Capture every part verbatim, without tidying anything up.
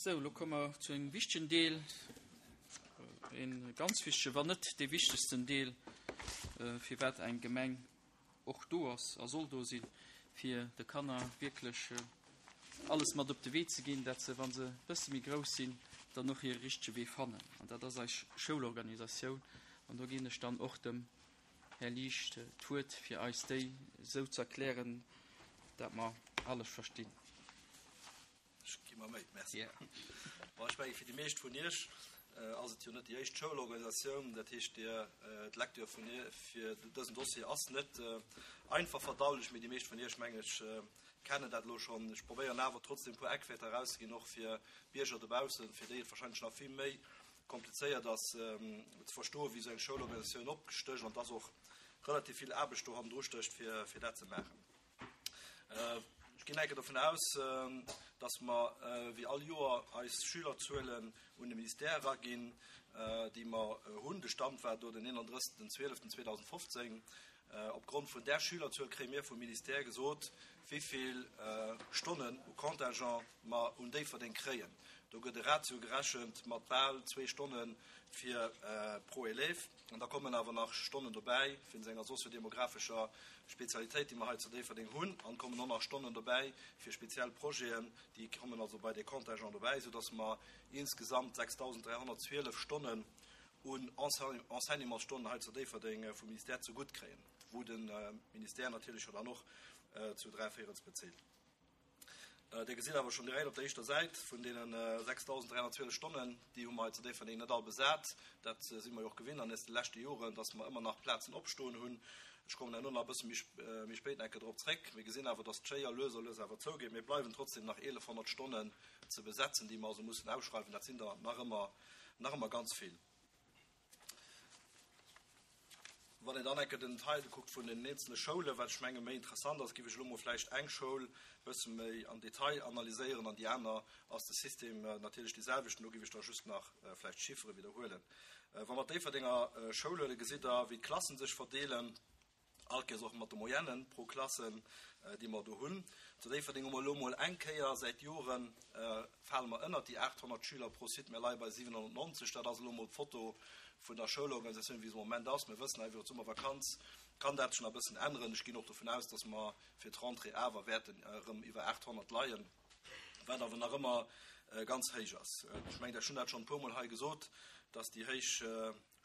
Sou, elo komme mer zu engem wichtegen Deel, e ganz wichtegen, wann net dee wichtegsten Deel, firwat eng Gemeng och do ass a soll do sinn, fir de Kanner wierklech alles mat op de Wee ze ginn, dat se, wa se e bësse méi grouss sinn, dann och hire richtege Wee fannen. An dat ass eis Schoulorganisatioun. An do ginn ech dann och dem Här Liesch d'Wuert, fir eis déi esou ze erklären, dat mer alles verstinn. Ech gi mer Méi, merci. Bon, ech menge fir déi meescht vun Iech ass et jo net déi éischt Schoulorganisatioun. Dat heescht, Dir, d'Lecture vun fir dësen Dossier ass net einfach verdaulech, mee déi meescht vun Iech, mengen ech, kennen dat elo schonn. Ech probéieren awer trotzdem e puer Eckwäerter erauszeginn, och fir Bierger dobaussen, fir déi et wahrscheinlech nach vill méi komplizéiert ass ze verstoen, wéi esou eng Schoulorganisatioun opgestécht an dass och relativ vill Aarbecht do hannendru stécht, fir, fir dat ze maachen. Ech ginn enke dovun aus, dass mer wéi all Joer eis Schülerzuelen un de Ministère eraginn, déi mer hunn. De Stand war do den eenandrëssegsten zwieleften zweedausendfofzéng. Opgrond vun där Schülerzuel kréie mir vum Ministère gesot, wéi vill Stonnen u Contingent mer un Déifferdeng kréien. Do gëtt e Ratio gerechent mat bal zwee Stonne fir pro Élève. An da kommen awer nach Stonnen dobäi wéinst enger soziodemographescher Spezialitéit, déi mer hei zu Déifferdeng hunn. An kommen och nach Stonnen dobäi fir speziell Projeten, déi kommen also bei dee Contingent dobäi, soudass mer insgesamt sechsdausenddräihonnertzwielef Stonnen un Enseignementsstonnen hei zu Déifferdeng vum Ministère zegutt kréien, wou de Ministère natierlech jo dann och zu dräi Véirels bezilt. Dir gesitt awer schonn direkt op der éischter Säit, vun deene sechsdausenddräihonnertzwielef Stonnen, déi hu mer hei zu Déifferdeng net all besat. Dat si mer jo och gewinnt an de leschte Joren, dass mer ëmmer nach Plazen opstoen hunn. Ech kommen herno nach e bësse méi spéit eng Kéier drop zréck. Mir gesinn awer, dass d'Schéier lues a lues awer zougeet. Mir bleiwen trotzdem nach eelefhonnert Stonnen ze besetzen, déi mer also mussen ausschreiwen. Dat sinn der nach ëmmer, nach ëmmer ganz vill. Wann een dann eng Kéier den Detail kuckt vun den eenzele Schoulen, wat ech menge méi interessant ass, géif ech elo mol vläicht eng Schoul e bësse méi am Detail analyséieren an déi aner ass de System natierlech dee selwechten. Do géif ech da just nach vläicht d'Chiffere widderhuelen. Wa mer d'Déifferdenger Schoul huelen, gesitt Der, wéi d'Klassen sech verdeelen. All Kéiers och mat de Moyennen pro Klassen, déi mer do hunn. Zu Déifferdeng hu mer elo mol eng Kéier säit Joren, fale mer ënnert déi aathonnert Schüler pro Site, mir leie bei siwenhonnertnonzeg. Dat ass elo mol d'Foto vun der Schoulorganisatioun, wéi se am Moment ass. Mir wëssen awer, iwwer d'Summervakanz kann dat sech nach e bëssen änneren. Ech ginn och dovun aus, dass mer fir d'Rentrée awer wäerten erëm iwwer aathonnert leien, wat awer nach ëmmer ganz héich ass. Ech mengen, ech hunn dat schonn e puermol hei gesot, dass déi héich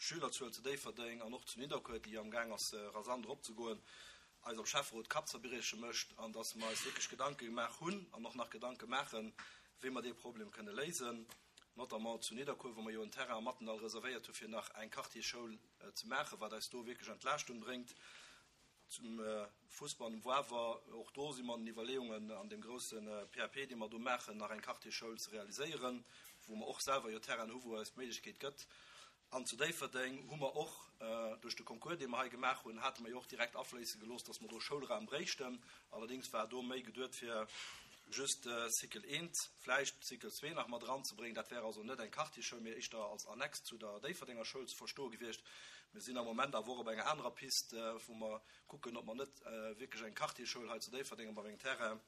Schülerzuel zu Déifferdeng an och zu Nidderkuer, déi am Gaang ass rasant eropzegoen, eis am Schäfferot Kappzerbrieche mécht an dass mer eis wierklech Gedanke gemaach hunn an och nach Gedanke maachen, wéi mer dee Problem kënne léisen, notamment zu Nidderkuer, wou mer jo en Terrain am Mathendahl reservéiert hu fir nach eng Quartierschoul ze maachen, wat eis do wierklech Entlaaschtung bréngt. Zum Fussball um Wawer, och do si mer an den Iwwerleeungen, an deem grousse P A P, dee mer do maachen, nach eng Quartierschoul ze realiséieren, wou mer och selwer jo Terrainen hu wou eis d'Méiglechkeet gëtt. An zu Déifferdeng hu mer och duerch de Concours, dee mer hei gemaach hunn, hate mer jo och direkt afléisse gelooss, dass mer do Schoulraum bréichten. Allerdéngs war do méi geduet fir just Cycle eent, vläicht Cycle zwee nach mat eranzebréngen. Dat wär also net eng Quartierschoul, mee éischter als Annex zu der Déifferdenger Schoul ze verstoe gewiescht. Mir sinn am Moment awer och op enger anerer Piste, wou mer kucken, ob mer net wierklech eng Quartierschoul hei zu Déifferdeng op engem Terrain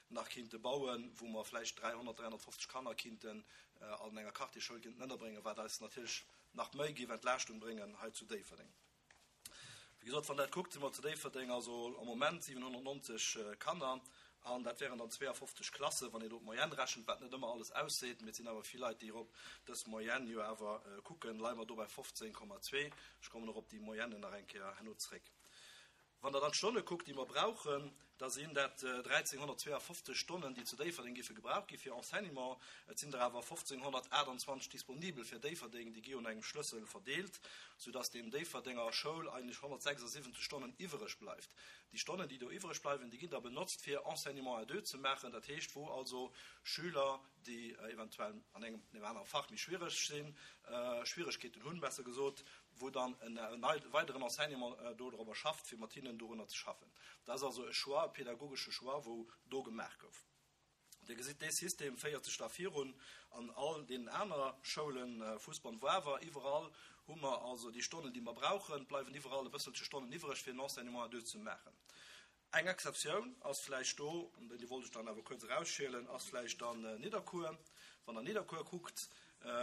nach kinnte bauen, wou mer vläicht dräihonnert, dräihonnertfofzeg Kanner kinnten an enger Quartierschoul kinnten ënnerbréngen, wat eis natierlech nach méi géif Entlaaschtung bréngen hei zu Déifferdeng. Wéi gesot, wann Der dat kuckt, si mer zu Déifferdeng also am Moment siwenhonnertnonzeg Kanner an dat wären dann zweeafofzeg Klassen, wann een do d'Moyenne rechent, wat net ëmmer alles ausseet, mee et sinn awer vill Leit, déi erop dës Moyenne jo awer kucken, leie mer do bei fofzéng Komma zwee. Ech kommen och op déi Moyenne nach eng Kéier herno zréck. Wann Der dann d'Stonne kuckt, déi mer brauchen, da sinn dat dräizénghonnertzweeafofzeg Stonnen, déi zu Déifferdeng géife gebraucht gi fir Enseignement. Et sinn der awer fofzénghonnertaachtanzwanzeg disponibel fir Déifferdeng, déi gi un engem Schlëssel verdeelt, soudass dem Déifferdenger Schoul eigentlech honnertsechsasiwwenzeg Stonnen iwwereg bleift. Déi Stonnen, déi do iwwereg bleiwen, déi ginn da benotzt, fir Enseignement à deux ze maachen, dat heescht, wou also Schüler, déi eventuell an engem anere Fach méi schwiereg sinn, Schwieregkeeten hunn, besser gesot, wou dann en weideren Enseignement dodrobber schafft, fir mat hinnen dorunner ze schaffen. Dat ass also e Choix, e pädagogesche Choix, wou do gemaach gouf. Dir gesitt, dee System féiert sech da virun an all deenen aner Schoulen, Fussball, Wawer, iwwerall hu mer also déi Stonnen, déi mer brauchen, bleiwen iwwerall e bësselche Stonnen iwwereg, fir en Enseignement à deux ze maachen. Eng Exceptioun ass vläicht do, an déi wollt ech dann awer kuerz erausschielen, ass vläicht dann Nidderkuer. Wann Der Nidderkuer kuckt,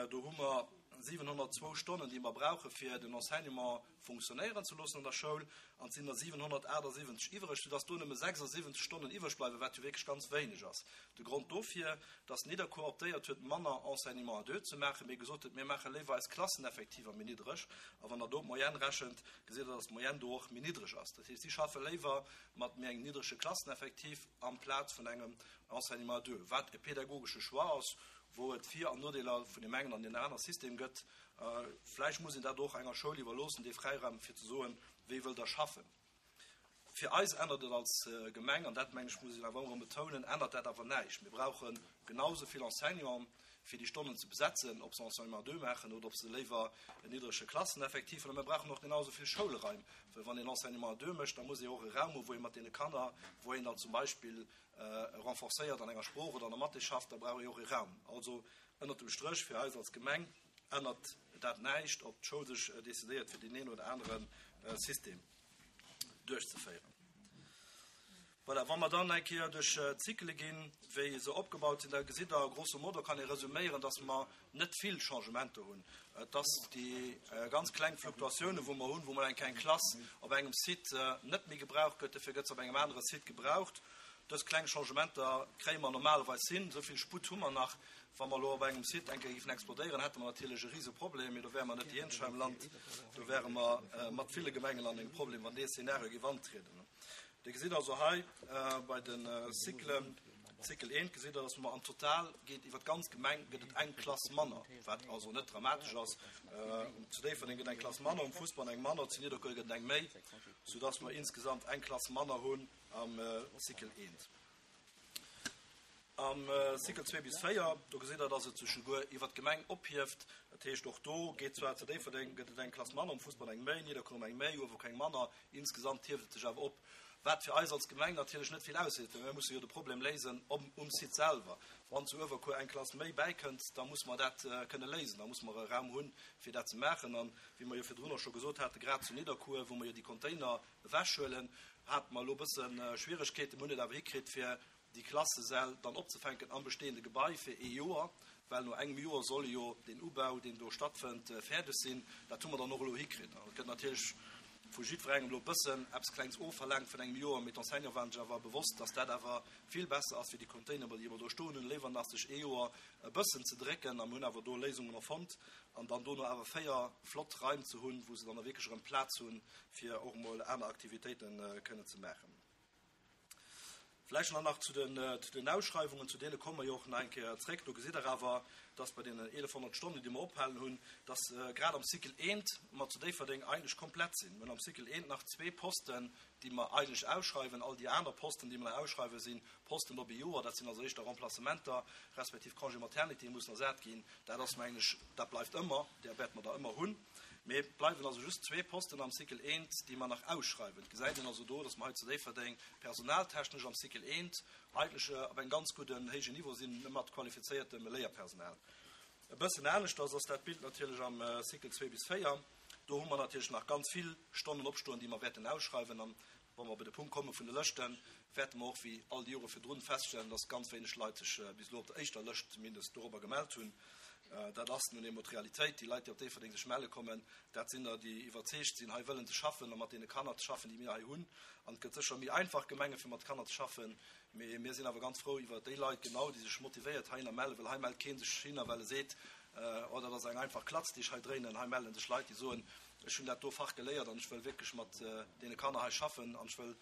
do hu mer siwenhonnertzwou Stonnen, déi mer brauche fir den Enseignement funktionéieren ze loossen an der Schoul, an et sinn der siwenhonnertaachtsiwwenzeg iwwreg, soudass do nëmme sechsasiwwenzeg Stonnen iwwreg bleiwen, wat jo wierklech ganz wéineg ass. De Grond dofir, dass Nidderkuer optéiert huet, manner Enseignement à deux ze maachen, mee gesot huet, mir maache léiwer eis Klasseneffektiver méi niddreg. A wann Der do d'Moyenne rechent, gesitt Der, dass d'Moyenne do och méi niddreg ass. Dat heescht, si schaffe léiwer mat méi engem niddrege Klasseneffektiv amplaz vun engem Enseignement à deux, wat e pädagogesche Choix ass, wou et Vir an Nodeeler vun deem engen an deem anere System gëtt. Vläicht muss een dat och enger Schoul iwwerloossen, dee Fräiraum, fir ze soen, wéi wëllt Der schaffen. Fir eis ännert et als Gemeng, an dat, mengen ech, muss een awer ëmmer erëm betounen, ännert dat awer näischt. Mir brauche genau esou vill Enseignanten, fir déi Stonnen ze besetzen, ob se Enseignement à deux maachen oder ob se léiwer en niddrege Klasseneffektiv hunn. A mir brauchen och genau esou vill Schoulraim, well wann een Enseignement à deux mécht, da muss ee och e Raum hu wou ee mat deene Kanner, wou een dann zum Beispill renforcéiert an enger Sprooch oder an der Mathé schafft, da brauch ee och e Raum. Also ënnert dem Stréch fir eis als Gemeng ännert dat näischt, ob d'Schoul sech decidéiert fir deen een oder anere System duerchzeféieren. Voilà, wa mer dann eng Kéier duerch d'Cyclë ginn, wéi se opgebaut sinn, da gesitt Der, grosso modo kann ee resuméieren, dass mer net vill Changementer hunn. Et ass déi ganz kleng Fluktuatiounen, wou mer hunn, wou mol eng Kéier eng Klass op engem Site net méi gebraucht gëtt, dofir gëtt se op engem anere Site gebraucht. Dës kleng Changementer kréie mer normalerweis hin. Esou vill Sputt hu mer nach. Wa mer elo op engem Site eng Kéier géifen explodéieren, hätte mer natierlech e Riseproblem, mee do wäre mer net déi eenzeg hei am Land. Do wäre mer mat ville Gemengen an engem Problem, wann dee Szenario géif antrieden. Dir gesitt also hei bei de Cyclen, Cycle eent, gesitt Der, dass mer am Total geet iwwer d'ganz Gemeng gëtt et eng Klass manner, wat also net dramatesch ass. Zu Déifferdeng gëtt eng Klass manner, um Fussball eng manner, zu Nidderkuer gëtt et eng méi, soudass mer insgesamt eng Klass manner hunn am Cycle eent. Am Cycle zwee bis véier, do gesitt Der, dass et sech souguer iwwer d'Gemeng ophieft. Dat heescht, och do geet zwar zu Déifferdeng gëtt et eng Klass manner, um Fussball eng méi, Nidderkuer eng méi, Uewerkuer eng manner. Insgesamt hieft et sech awer op, wat fir eis als Gemeng natierlech net vill ausseet, well mir musse jo de Problem léisen um Site selwer. Wann zu Uewerkuer eng Klass méi bäikënnt, da musse mer dat kënne léisen, da musse mer e Raum hunn, fir dat ze maachen. An wéi mer jo virdrun och scho gesot haten, grad zu Nidderkuer, wou mer jo déi Container ewechhuelen, hate mer elo e bësse Schwieregkeeten, mir hunn et awer hikritt, fir déi Klassesäll dann opzefänken am bestehende Gebai fir ee Joer, well no engem Joer soll jo deen Ubau, deen do stattfënnt, fäerdeg sinn. Dat hu mer dann och elo hikritt. An et gëtt natierlech vu jiddwerengem elo e bëssen eppes Klengs ofverlaangt vun engem Joer, mee d'Enseignante waren sech awer bewosst, dass dat awer vill besser ass wéi déi Container, déi mer do stoen hunn, léiwer nach sech ee Joer e bëssen ze drécken. A mir hunn awer do Léisungen erfonnt an dann dono awer véier flott Raim ze hunn, wou se dann da wierklech erëm Plaz hunn, fir och emol aner Aktivitéite kënnen ze maachen. Vläicht nach nach zu den, zu den Ausschreiwungen, zu deene komme mer jo och nach eng Kéier zréck. Do gesitt Der awer, dass bei deenen eelefhonnert Stonnen, déi mer ophalen hunn, dass grad am Cycle eent mer zu Déifferdeng eigentlech komplett sinn. Mir hunn am Cycle eent nach zwee Posten, déi mer eigentlech ausschreiwen. All déi aner Posten, déi mer nach ausschreiwen, si Posten op ee Joer. Dat sinn also éischter Remplacementer respektiv Congé maternité, déi mussen ersat ginn. Dat ass, mengen ech, dat bleift ëmmer, där wäerte mer der ëmmer hunn. Mee et bleiwen also just zwee Posten am Cycle eent, déi mer nach ausschreiwen. Et gesäit een also do, dass mer hei zu Déifferdeng personaltechnesch am Cycle eent eigentlech op engem ganz gudden, héijen Niveau sinn mat qualifizéiertem Léierpersonal. E bëssen aneschters ass dat Bild natierlech am Cycle zwee bis véier. Do hu mer natierlech nach ganz vill Stonnen opstoen, déi mer wäerten ausschreiwen. An wa mer op de Punkt komme vun de Lëschten, wäerte mer och wéi all déi Jore virdrun feststellen, dass ganz wéineg Leit sech bis elo op der éischter Lëscht zumindest dorobber gemellt hunn. Dat ass nun eemol d'Realitéit. Déi Leit, déi op Déifferdeng sech melle kommen, dat sinn der, déi iwwerzeegt sinn, hei wëllen ze schaffen a mat deene Kanner ze schaffen, déi mir hei hunn. An et gëtt sécher méi einfach Gemenge fir mat Kanner ze schaffen, mee mir sinn awer ganz frou iwwer déi Leit genau, déi sech motivéiert heihinner mellen, well hei mellt kee sech hinner, well e seet, Oh, dat ass eng einfach Klatz, déi ech hei dréinen. Hei melle sech Leit, déi soen, Ech hunn dat do Fach geléiert an ech wëll wierklech mat deene Kanner hei schaffen an ech wëll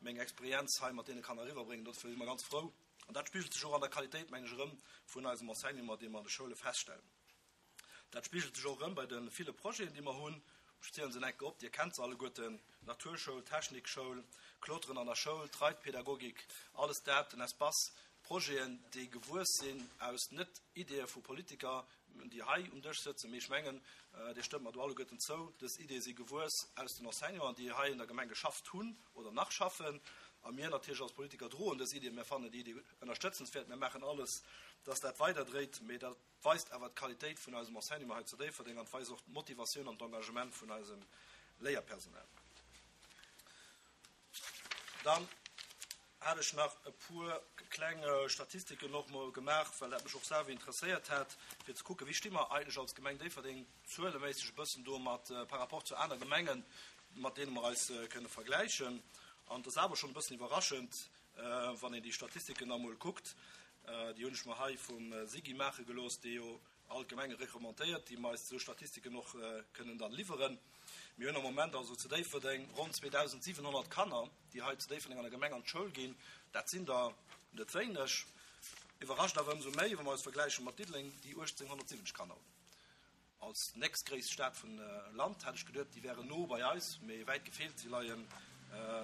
meng Experienz hei mat deene Kanner eriwwerbréngen. Dofir si mer ganz frou. An dat spigelt sech och an der Qualitéit, mengen ech, erëm vun eisem Enseignement, dee mer an de Schoule feststellen. Dat spigelt sech och erëm bei de ville Projeten, déi mer hunn. Ech zielen se en enke op, Dir kennt se alleguerten, Naturschoul, Technikschoul, Kloteren an der Schoul, d'Reitpädagogik, alles dat, den Espace, Projeten, déi gewuess sinn aus net Ideeë vu Politiker, déi hei um Dësch sëtzen, mee ech mengen, Dir stëmmt mer do alleguerten zou, dës Ideeë si gewuess aus den Enseignanten, déi hei an der Gemeng geschafft hunn oder nach schaffen. A mir natierlech als Politiker droen dës Idee, mir fannen déi Idee ënnerstëtzenswäert, mir maachen alles, dass dat weiderdréit. Mee dat weist awer d'Qualitéit vun eisem Enseignement hei zu Déifferdeng an et weist och d'Motivatioun an d'Engagement vun eisem Léierpersonal. Dann Hat ech nach e puer kleng Statistiken och mol gemaach, well dat mech och selwer interesséiert hat, fir ze kucken, wéi sti mer eigentlech als Gemeng Déifferdeng zueleméisseg e bëssen do mat par rapport zu aner Gemengen, mat deene mer eis kënne vergläichen. An et ass awer schonn e bëssen iwwerraschend, wann een déi Statistiken da mol kuckt. Déi hunn ech mer hei vum SIGI maache gelooss, dee jo all d'Gemenge recommandéiert, déi mer eis esou Statistiken och kënnen dann liwweren. Mir hunn am Moment also zu Déifferdeng ronn zweedausendsiwenhonnert Kanner, déi hei zu Déifferdeng an der Gemeng an d'Schoul ginn. Dat sinn der net wéineg. Iwwerrascht awer ëmsou méi, wa mer eis vergläiche mat Diddeleng, déi uechtzénghonnertsiwwenzeg Kanner hunn. Als nächstgréisst Stad vum Land hat ech geduet, déi wären no bei eis, mee wäit gefeelt, si leien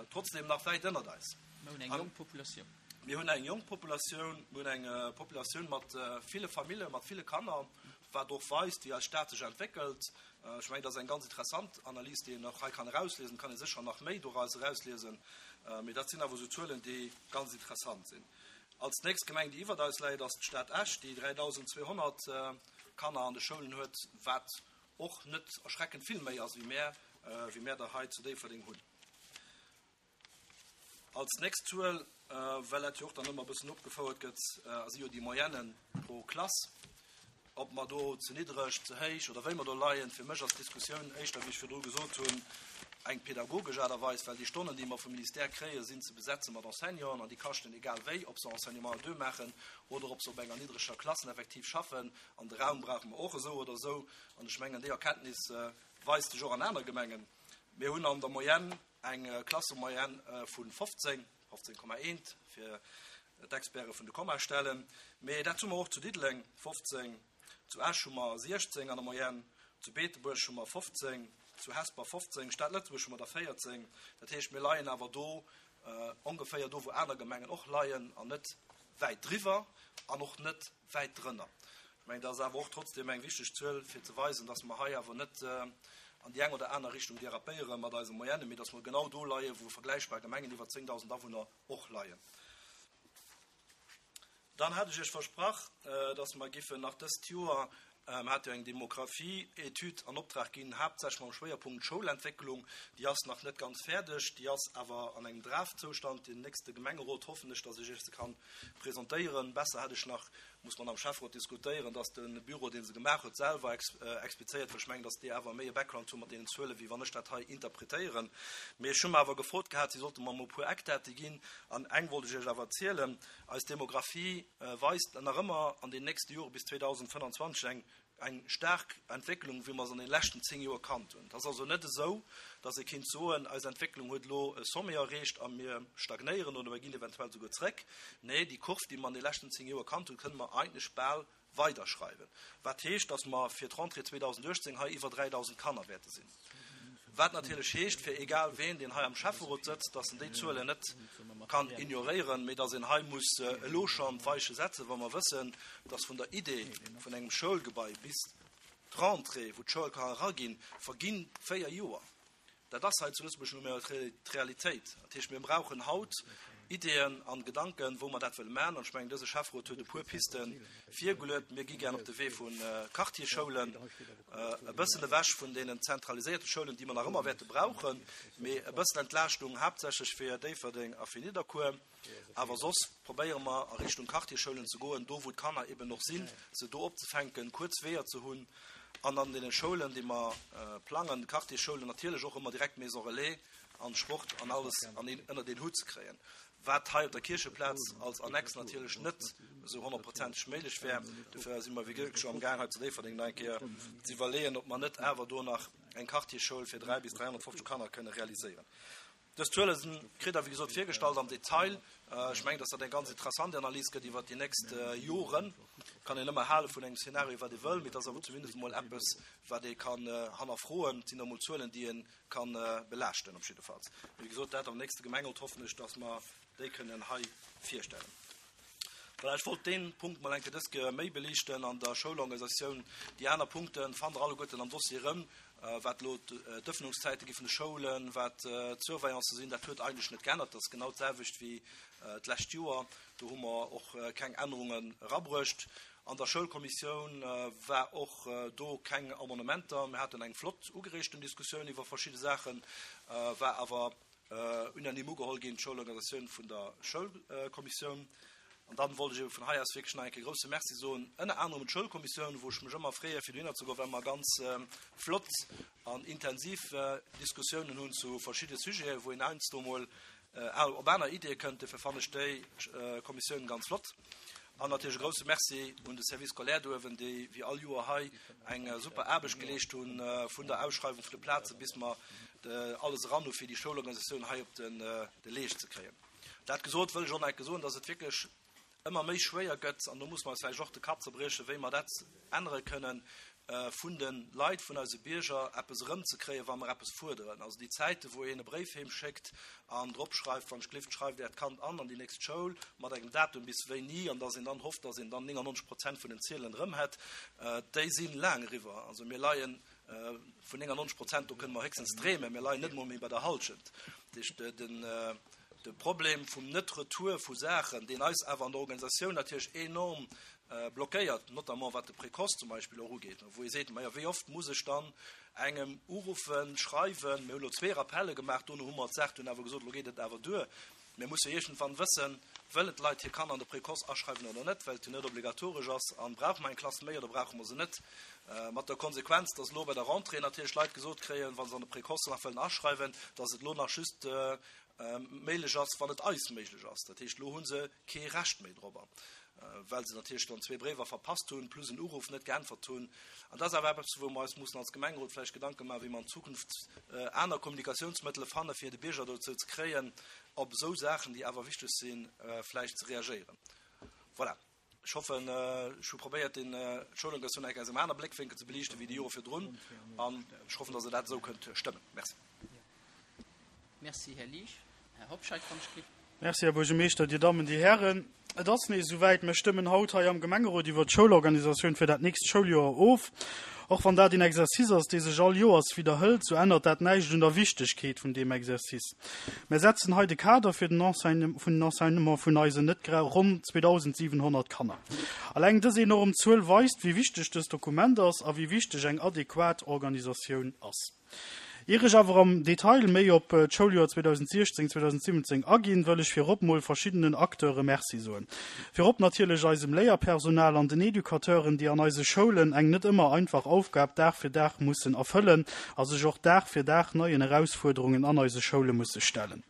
trotzdeem nach wäit ënnert eis. Mir hunn eng jonk Populatioun. Mir hunn eng jonk Populatioun, mir hunn eng Populatioun mat ville Famille, mat ville Kanner, wat och weist, wéi eis Stad sech entwéckelt. Ech mengen, dat ass eng ganz interessant Analys, déi een och hei kann erausliesen. Et kann ee sécher nach méi doraus erausliesen, mee dat sinn awer esou Zuelen, déi ganz interessant sinn. Als nächst Gemeng, déi iwwert eis läit, ass d'Stad Esch, déi dräidausendzweehonnert Kanner an de Schoulen huet, wat och net erschreckend vill méi ass, wéi mär, wéi mär der hei zu Déifferdeng hunn. Als nächst Zuel, well dat jo och dann ëmmer e bëssen opgefouert gëtt, si jo déi Moyennen pro Klass. Ob mer do ze niddreg, ze héich oder wéi mer do leien, fir mech ass d'Diskussioun éischter, wéi ech virdru gesot hunn, eng pädagogesch Aart a Weis, well déi Stonnen, déi mer vum Ministère kréien, sinn ze besetze mat Enseignanten an déi kaschten egal wéi, ob se Enseignement à deux maachen oder ob se op enger niddreger Klassen effektiv schaffen. An de Raum brauche mer och esou oder esou. An ech mengen, déi Erkenntnis weist sech och an aner Gemengen. Mir hunn an der Moyenne eng Klassemoyenne vu fofzéng, fofzéng Komma eent fir d'Experte vun de Kommastellen. Mee dat hu mer och zu Diddeleng, fofzéng, zu Esch hu mer siechzéng an der Moyenne, zu Beetebuerg hu mer fofzéng, zu Hesper fofzéng, Stad Lëtzebuerg hu mer der véierzéng. Dat heescht, mir leien awer do ongeféier do, wou aner Gemengen och leien, an net wäit driwwer an och net wäit drënner. Ech mengen, dat ass awer och trotzdem eng wichteg Zuel, fir ze weisen, dass mer hei awer net an déi eng oder aner Richtung dérapéiere mat eise Moyennen, mee dass mer genau do leien, wou vergläichbar Gemengen iwwer zéngdausend Awunner och leien. Dann hat ech Iech versprach, dass mer giffen nach dëst Joer, mer hate jo eng Demografie-Etüd an Optrag ginn, haaptsächlech mam Schwéierpunkt Schoulentwécklung. Déi ass nach net ganz fäerdeg, déi ass awer an engem Draftzustand. Den nächste Gemengerot hoffen ech, dass ech Iech se kann presentéieren. Besser hätt ech nach, muss man am Schäfferot diskutéieren, dass de Büro, dee se gemaach huet, selwer explizéiert, well ech mengen, dass déi awer méi e Background hu mat deenen Zuelen, wéi wann ech dat hei interpretéieren. Mee ech hu mer awer gefrot gehat, si sollte mer emol e puer Eckdate ginn, an eng wollt ech Iech awer erzielen. Eis Demografie weist nach ëmmer an den nächste Jore bis zweedausendfënnanzwanzeg eng eng staark Entwécklung, wéi mer se an den leschten zéng Joer kannt hunn. Et ass also net esou, dass ee kéint soen, eis Entwécklung huet elo e Sommet erreecht a mir stagnéieren oder mir ginn eventuell souguer zréck. Nee, déi Kurv, déi mer an de leschten zéng Joer kannt hunn, kënne mer eigentlech bal weiderschreiwen. Wat heescht, dass mer fir d'Rentrée zweedausendachtzéng hei iwwer dräidausend Kanner wäerte sinn. Wat natierlech heescht, fir egal ween, deen hei am Schäfferot sëtzt, dass en déi Zuelen net kann ignoréieren, mee dass een hei muss elo schonn d'Weiche setzen, wa mer wëssen, dass vun der Idee vun engem Schoulgebai bis d'Rentrée, wou d'Schoul ka eraginn, verginn véier Joer. Dat ass hei zu Lëtzebuerg nu mol d'Realitéit. Dat heescht, mir brauchen haut Ideeën an Gedanken, wou mer dat wëlle maachen. An ech mengen, dëse Schäfferot huet e puer Piste virgeluet. Mir gi gär op de Wee vu Quartierschoulen, e bëssen ewech vun deenen zentraliséierte Schoulen, déi mer nach ëmmer wäerte brauchen, mee e bëssen Entlaaschtung haaptsächlech fir Déifferdeng a fir Nidderkuer. Awer soss probéiere mer a Richtung Quartierschoulen ze goen, do wou d'Kanner eben och sinn, se do opzefänken, kuerz Weeër ze hunn. An an deene Schoulen, déi mer plangen, Quartierschoulen, natierlech och ëmmer direkt Maison Relais an Sport an alles an een, ënner den Hutt ze kréien. Wat hei op der Kiercheplaz als Annex natierlech net esou honnertprozenteg méiglech wär. Dofir si mer wéi gesot scho am Gaang hei zu Déifferdeng nach eng Kéier ze iwwerleeën, ob mer net awer do nach eng Quartierschoul fir dräi bis dräihonnertfofzeg Kanner kënne realiséieren. Dës Zuele sinn, kritt Der wéi gesot virgestallt am Detail. Ech mengen, dass dat eng ganz interessant Analys gëtt iwwer déi nächst Joren. Kann een ëmmer hale vun engem Szenario, wat ee wëll, mee et ass awer zumindest emol eppes, wat ee kann hannerfroen. Et sinn emol Zuelen, déi ee kann belaaschten op jiddefalls. Wéi gesot, dat am nächste Gemengerot hoffen ech, dass mer déi kënnen hei virstellen. Voilà, ech wollt deen Punkt mol eng Kéier dës Kéier méi beliichten an der Schoulorganisatioun. Déi aner Punkte fannt der alleguerten am Dossier erëm, wat elo d'Ëffnungszäite gi vun de Schoulen, wat d'Surveillance sinn, dat huet eigentlech net geännert. Dat ass genau d'selwecht wéi d'lescht Joer. Do hu mer och keng Ännerungen erabruecht. An der Schoulkommissioun war och do keng Amendementer. Mir haten eng flott ugereegten Diskussioun iwwer verschidde Saachen, war awer Unanime ugeholl ginn, d'Schoulorganisatioun vun der Schoulkommissioun. An dann wollt ech ebe vun hei aus wierklech nach eng Kéier grouse Merci soen, ënner anerem un d'Schoulkommissioun, wou ech mech ëmmer freeë fir dohinner ze goen, well mer ganz flott an intensiv Diskussiounen hunn zu verschidde Sujeten, wou een heiansdo mol op aner Ideeë kënnt. Dofir fannen ech déi Kommissioun ganz flott. An natierlech e grouse Merci un de Service scolaire do uewen, déi wéi all Joer hei eng super Aarbecht geleescht hunn, vun der Ausschreiwung vun de Plaze bis mer alles eran hu fir déi Schoulorganisatioun hei op de Leescht ze kréien. Dat gesot, wëll ech och nach eng Kéier soen, dass et wierklech ëmmer méi schwéier gëtt, an do muss mer eis vläicht och de Kapp zerbriechen, wéi mer dat ännere kënnen, vun de Leit, vun eise Bierger eppes erëmzekréien, wa mer eppes fuerderen. Also déi Zäiten, wou een e Bréif heem schéckt an drop schreift, wann ech gelift, schreift Äert Kand an an déi nächst Schoul mat engem Datum bis wéini, an dass een dann hofft, dass een dann néngannonzeg Prozent vun den Ziedelen erëm hätt, déi si laang eriwwer. Also mir leie vun néngannonzeg Prozent, do kënne mer héchstens dreemen, mir leien net emol méi bei der Hallschent. Dat heescht, den. De Problem vum Net-Retour vu Saachen, deen eis awer an der Organisatioun natierlech enorm blockéiert, notamment wat de Précoce zum Beispill och ugeet, wou ee seet, Majo, wéi oft muss ech dann engem uruffen, schreiwen? Mir hu lo zwee Rappelle gemaach, dono hu mer d'Saach dunn awer gesot, elo geet et awer duer. Mir musse iergendwann wëssen, wëllen d'Leit hir Kanner an de Précoce aschreiwen oder net, well et jo net obligatoresch ass, a brauche mer eng Klass méi oder brauche mer se net? Mat der Konsequenz, dass elo bei der Rentrée natierlech Leit gesot kréien, wa se an de Précoce nach wëllen aschreiwen, dass et elo nach just méiglech ass, wann et eis méiglech ass. Dat heescht, elo hu se kee Recht méi dorobber, well se natierlech dann zwee Bréiwer verpasst hunn, plus en Uruff net geäntwert hunn. An dat ass awer eppes, wou mer eis mussen als Gemengerot vläicht Gedanke maachen, wéi mer an Zukunft aner Kommunikationsmëttele fanne fir de Bierger dozou ze kréien, op esou Saachen, déi awer wichteg sinn, vläicht ze reagéieren. Voilà. Ech hoffen, ech hu probéiert, den d'Schoulorganisatioun enk aus engem aner Bléckwénkel ze beliichten wéi déi Jore virdrun, an ech hoffen, dass Der dat esou kënnt stëmmen. Merci. Merci, Här Liesch. Här Hobscheit, wann ech gelift. Merci, Här Buergermeeschter, Dir Dammen, Dir Hären. Et ass nees esouwäit, Mir stëmmen haut hei am Gemengerot iwwert d'Schoulorganisatioun fir dat nächst Schouljoer of. Och wann dat een Exercice ass, dee sech all Joers widderhëlt, sou ännert dat näischt un der Wichtegkeet vun deem Exercice. Mir setzen hei de Kader fir den vun den Enseignement vun eisen net gra ronn zweedausendsiwenhonnert Kanner. Alleng dës enorm Zuel weist, wéi wichteg dëst Dokument ass a wéi wichteg eng adequat Organisatioun ass. Ier ech awer am Detail méi op d'Schouljoer zweedausentsiechzéng, zweedausentsiwwenzéng aginn, wëll ech virop mol verschiddenen Acteure Merci soen. Virop natierlech eisem Léierpersonal an den Educateuren, déi an eise Schoulen eng net ëmmer einfach Aufgab Dag fir Dag mussen erfëllen a sech och Dag fir Dag neien Erausfuerderungen an eise Schoule musse stellen.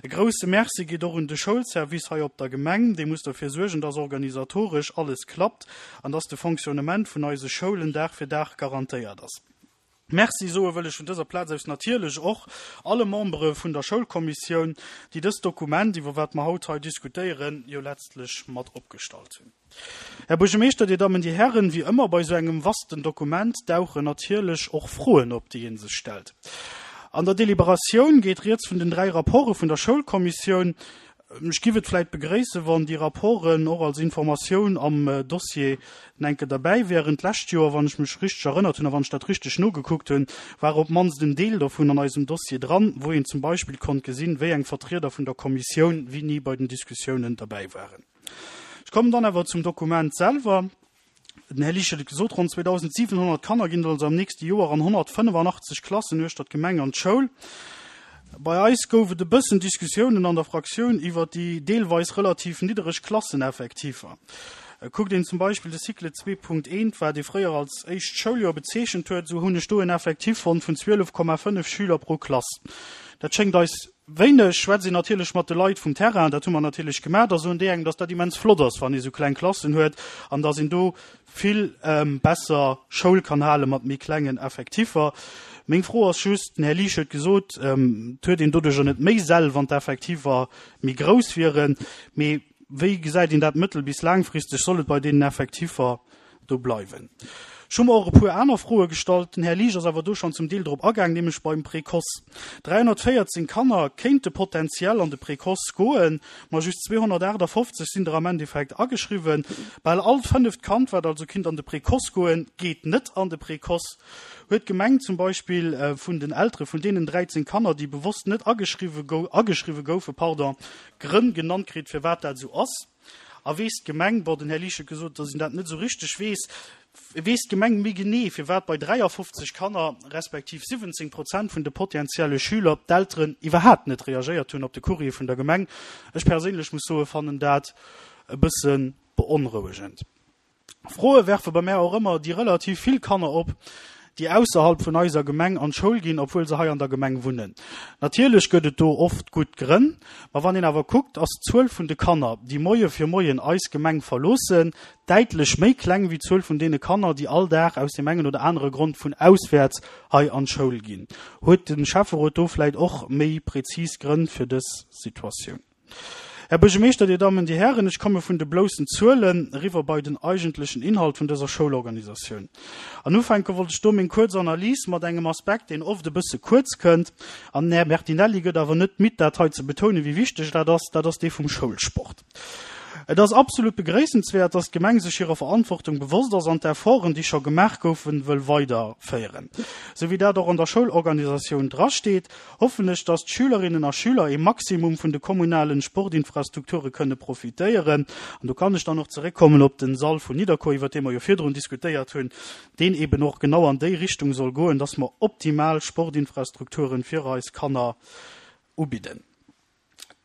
E grousse Merci geet och un de Schoulservice hei op der Gemeng, dee muss derfir suergen, dass organisatoresch alles klappt an dass de Fonctionnement vun eise Schoulen Dag fir Dag garantéiert ass. Merci soe wëll ech vun dëser Plaz aus natierlech och alle Membere vun der Schoulkommissioun, déi dëst Dokument, iwwer wat mer haut hei diskutéieren, jo letztlech mat opgestallt hunn. Här Buergermeeschter, Dir Dammen, Dir Hären, wéi ëmmer bei esou engem vasten Dokument dauchen natierlech och Froen op, déi ee sech stellt. An der Deliberatioun geet rieds vun den dräi Rapporte vun der Schoulkommissioun. Ech giff et vläit begréissen, wann déi Rapporten och als Informatioun am Dossier enke derbäi wären. D'lescht Joer, wann ech mech richteg erënnert hunn a wann ech dat richteg nogekuckt hunn, war op d'mannst en Deel dovun an eisem Dossier dran, wou een zum Beispill konnt gesinn, wéi eng Vertrieder vun der Kommissioun wéini bei den Diskussiounen derbäi waren. Ech kommen dann awer zum Dokument selwer. Den Här Liesch huet et gesot, ronn zweedausentsiwenhonnert Kanner ginn also am nächste Joer an honnertfënnefannachtzeg Klassen uechter d'Gemeng an d'Schoul. Bei eis gouf et e bëssen Diskussiounen an der Fraktioun iwwer déi deelweis relativ niddereg Klasseneffektiver. Kuckt een zum Beispill de Cycle zwee Punkt eent, wat ee fréier als éischt Schouljoer bezeechent huet, esou hunn ech do en Effektiv fonnt vun zwielef Komma fënnef Schüler pro Klass. Dat schéngt eis wéineg. Schwätzt een natierlech mat de Leit vum Terrain, dat hu mer natierlech gemaach, da soen déi engem, dass dat immens flott ass, wann ee sou kleng Klassen huet an dass een do vill besser Schoul kann hale mat méi klengen Effektiffer. Meng Fro ass just, den Här Liesch huet gesot, et huet een doduercher net méi Säll, wann d'Effektiver méi grouss wieren, mee wéi gesäit een dat mëttel bis laangfristeg? Soll et bei deenen Effektiver do bleiwen? Ech hu mer och e puer aner Froe gestallt. Den Här Liesch ass awer do schonn zum Deel drop agaang, nämlech beim Précoce. dräihonnertvéierzéng Kanner kéinte potenziell an de Précoce goen, ma just zweehonnertaachtafoffzeg sinn der am Endeffekt ageschriwwen. Bal all fënneft Kand, wat also kinnt an de Précoce goen, geet net an de Précoce. Huet d'Gemeng zum Beispill vun den Eltere vun deenen dräizéng Kanner, déi bewosst net ageschriwwe goufen, pardon, Grënn genannt kritt, firwat dat esou ass? A weess d'Gemeng, bon, den Här Liesch huet gesot, datt en dat net esou richteg weess, weess d'Gemeng méi genee, firwat bei dräiafofzeg Kanner, respektiv siwwenzéng Prozent vun de potentielle Schüler, d'Elteren iwwerhaapt net reagéiert hunn op de Courrier vun der Gemeng? Ech perséinlech muss soen, fannen dat e bësse beonrouegend. Froe werfe bei mär och ëmmer déi relativ vill Kanner op, déi ausserhalb vun eiser Gemeng an d'Schoul ginn, obwuel se hei an der Gemeng wunnen. Natierlech gëtt et do oft gutt Grënn, ma wann een awer kuckt, ass d'Zuel vun de Kanner, déi Moie fir Moien eis Gemeng verloossen, däitlech méi kleng wéi d'Zuel vun deene Kanner, déi all Dag aus deem engen oder anere Grond vun auswäerts hei an d'Schoul ginn. Huet de Schäfferot do vläit och méi prezis Grënn fir dës Situatioun? Här Buergermeeschter, Dir Dammen, Dir Hären, ech komme vun de bloussen Zuelen eriwwer bei den eigentlechen Inhalt vun dëser Schoulorganisatioun. An ufänke wollt ech do meng kuerz Analys mat engem Aspekt, deen oft e bësse kuerz kënnt, an den Här Bertinelli gëtt awer net midd, dat hei ze betounen, wéi wichteg dat ass, dat ass dee vum Schoulsport. Et ass absolut begréissenswäert, dass d'Gemeng sech hirer Verantwortung bewosst ass an d'Efforten, déi scho gemaach goufen, wëll weiderféieren. Sou wéi dat och an der Schoulorganisatioun drasteet, hoffen ech, dass d'Schülerinnen a Schüler ee Maximum vun de kommunalen Sportinfrastrukture kënne profitéieren. An do kann ech dann och zeréckkommen op den Sall vun Nidderkuer, iwwert dee mer jo virdrun diskutéiert hunn, deen eben och genau an déi Richtung soll goen, dass mer optimal Sportinfrastrukturen fir eis Kanner ubidden.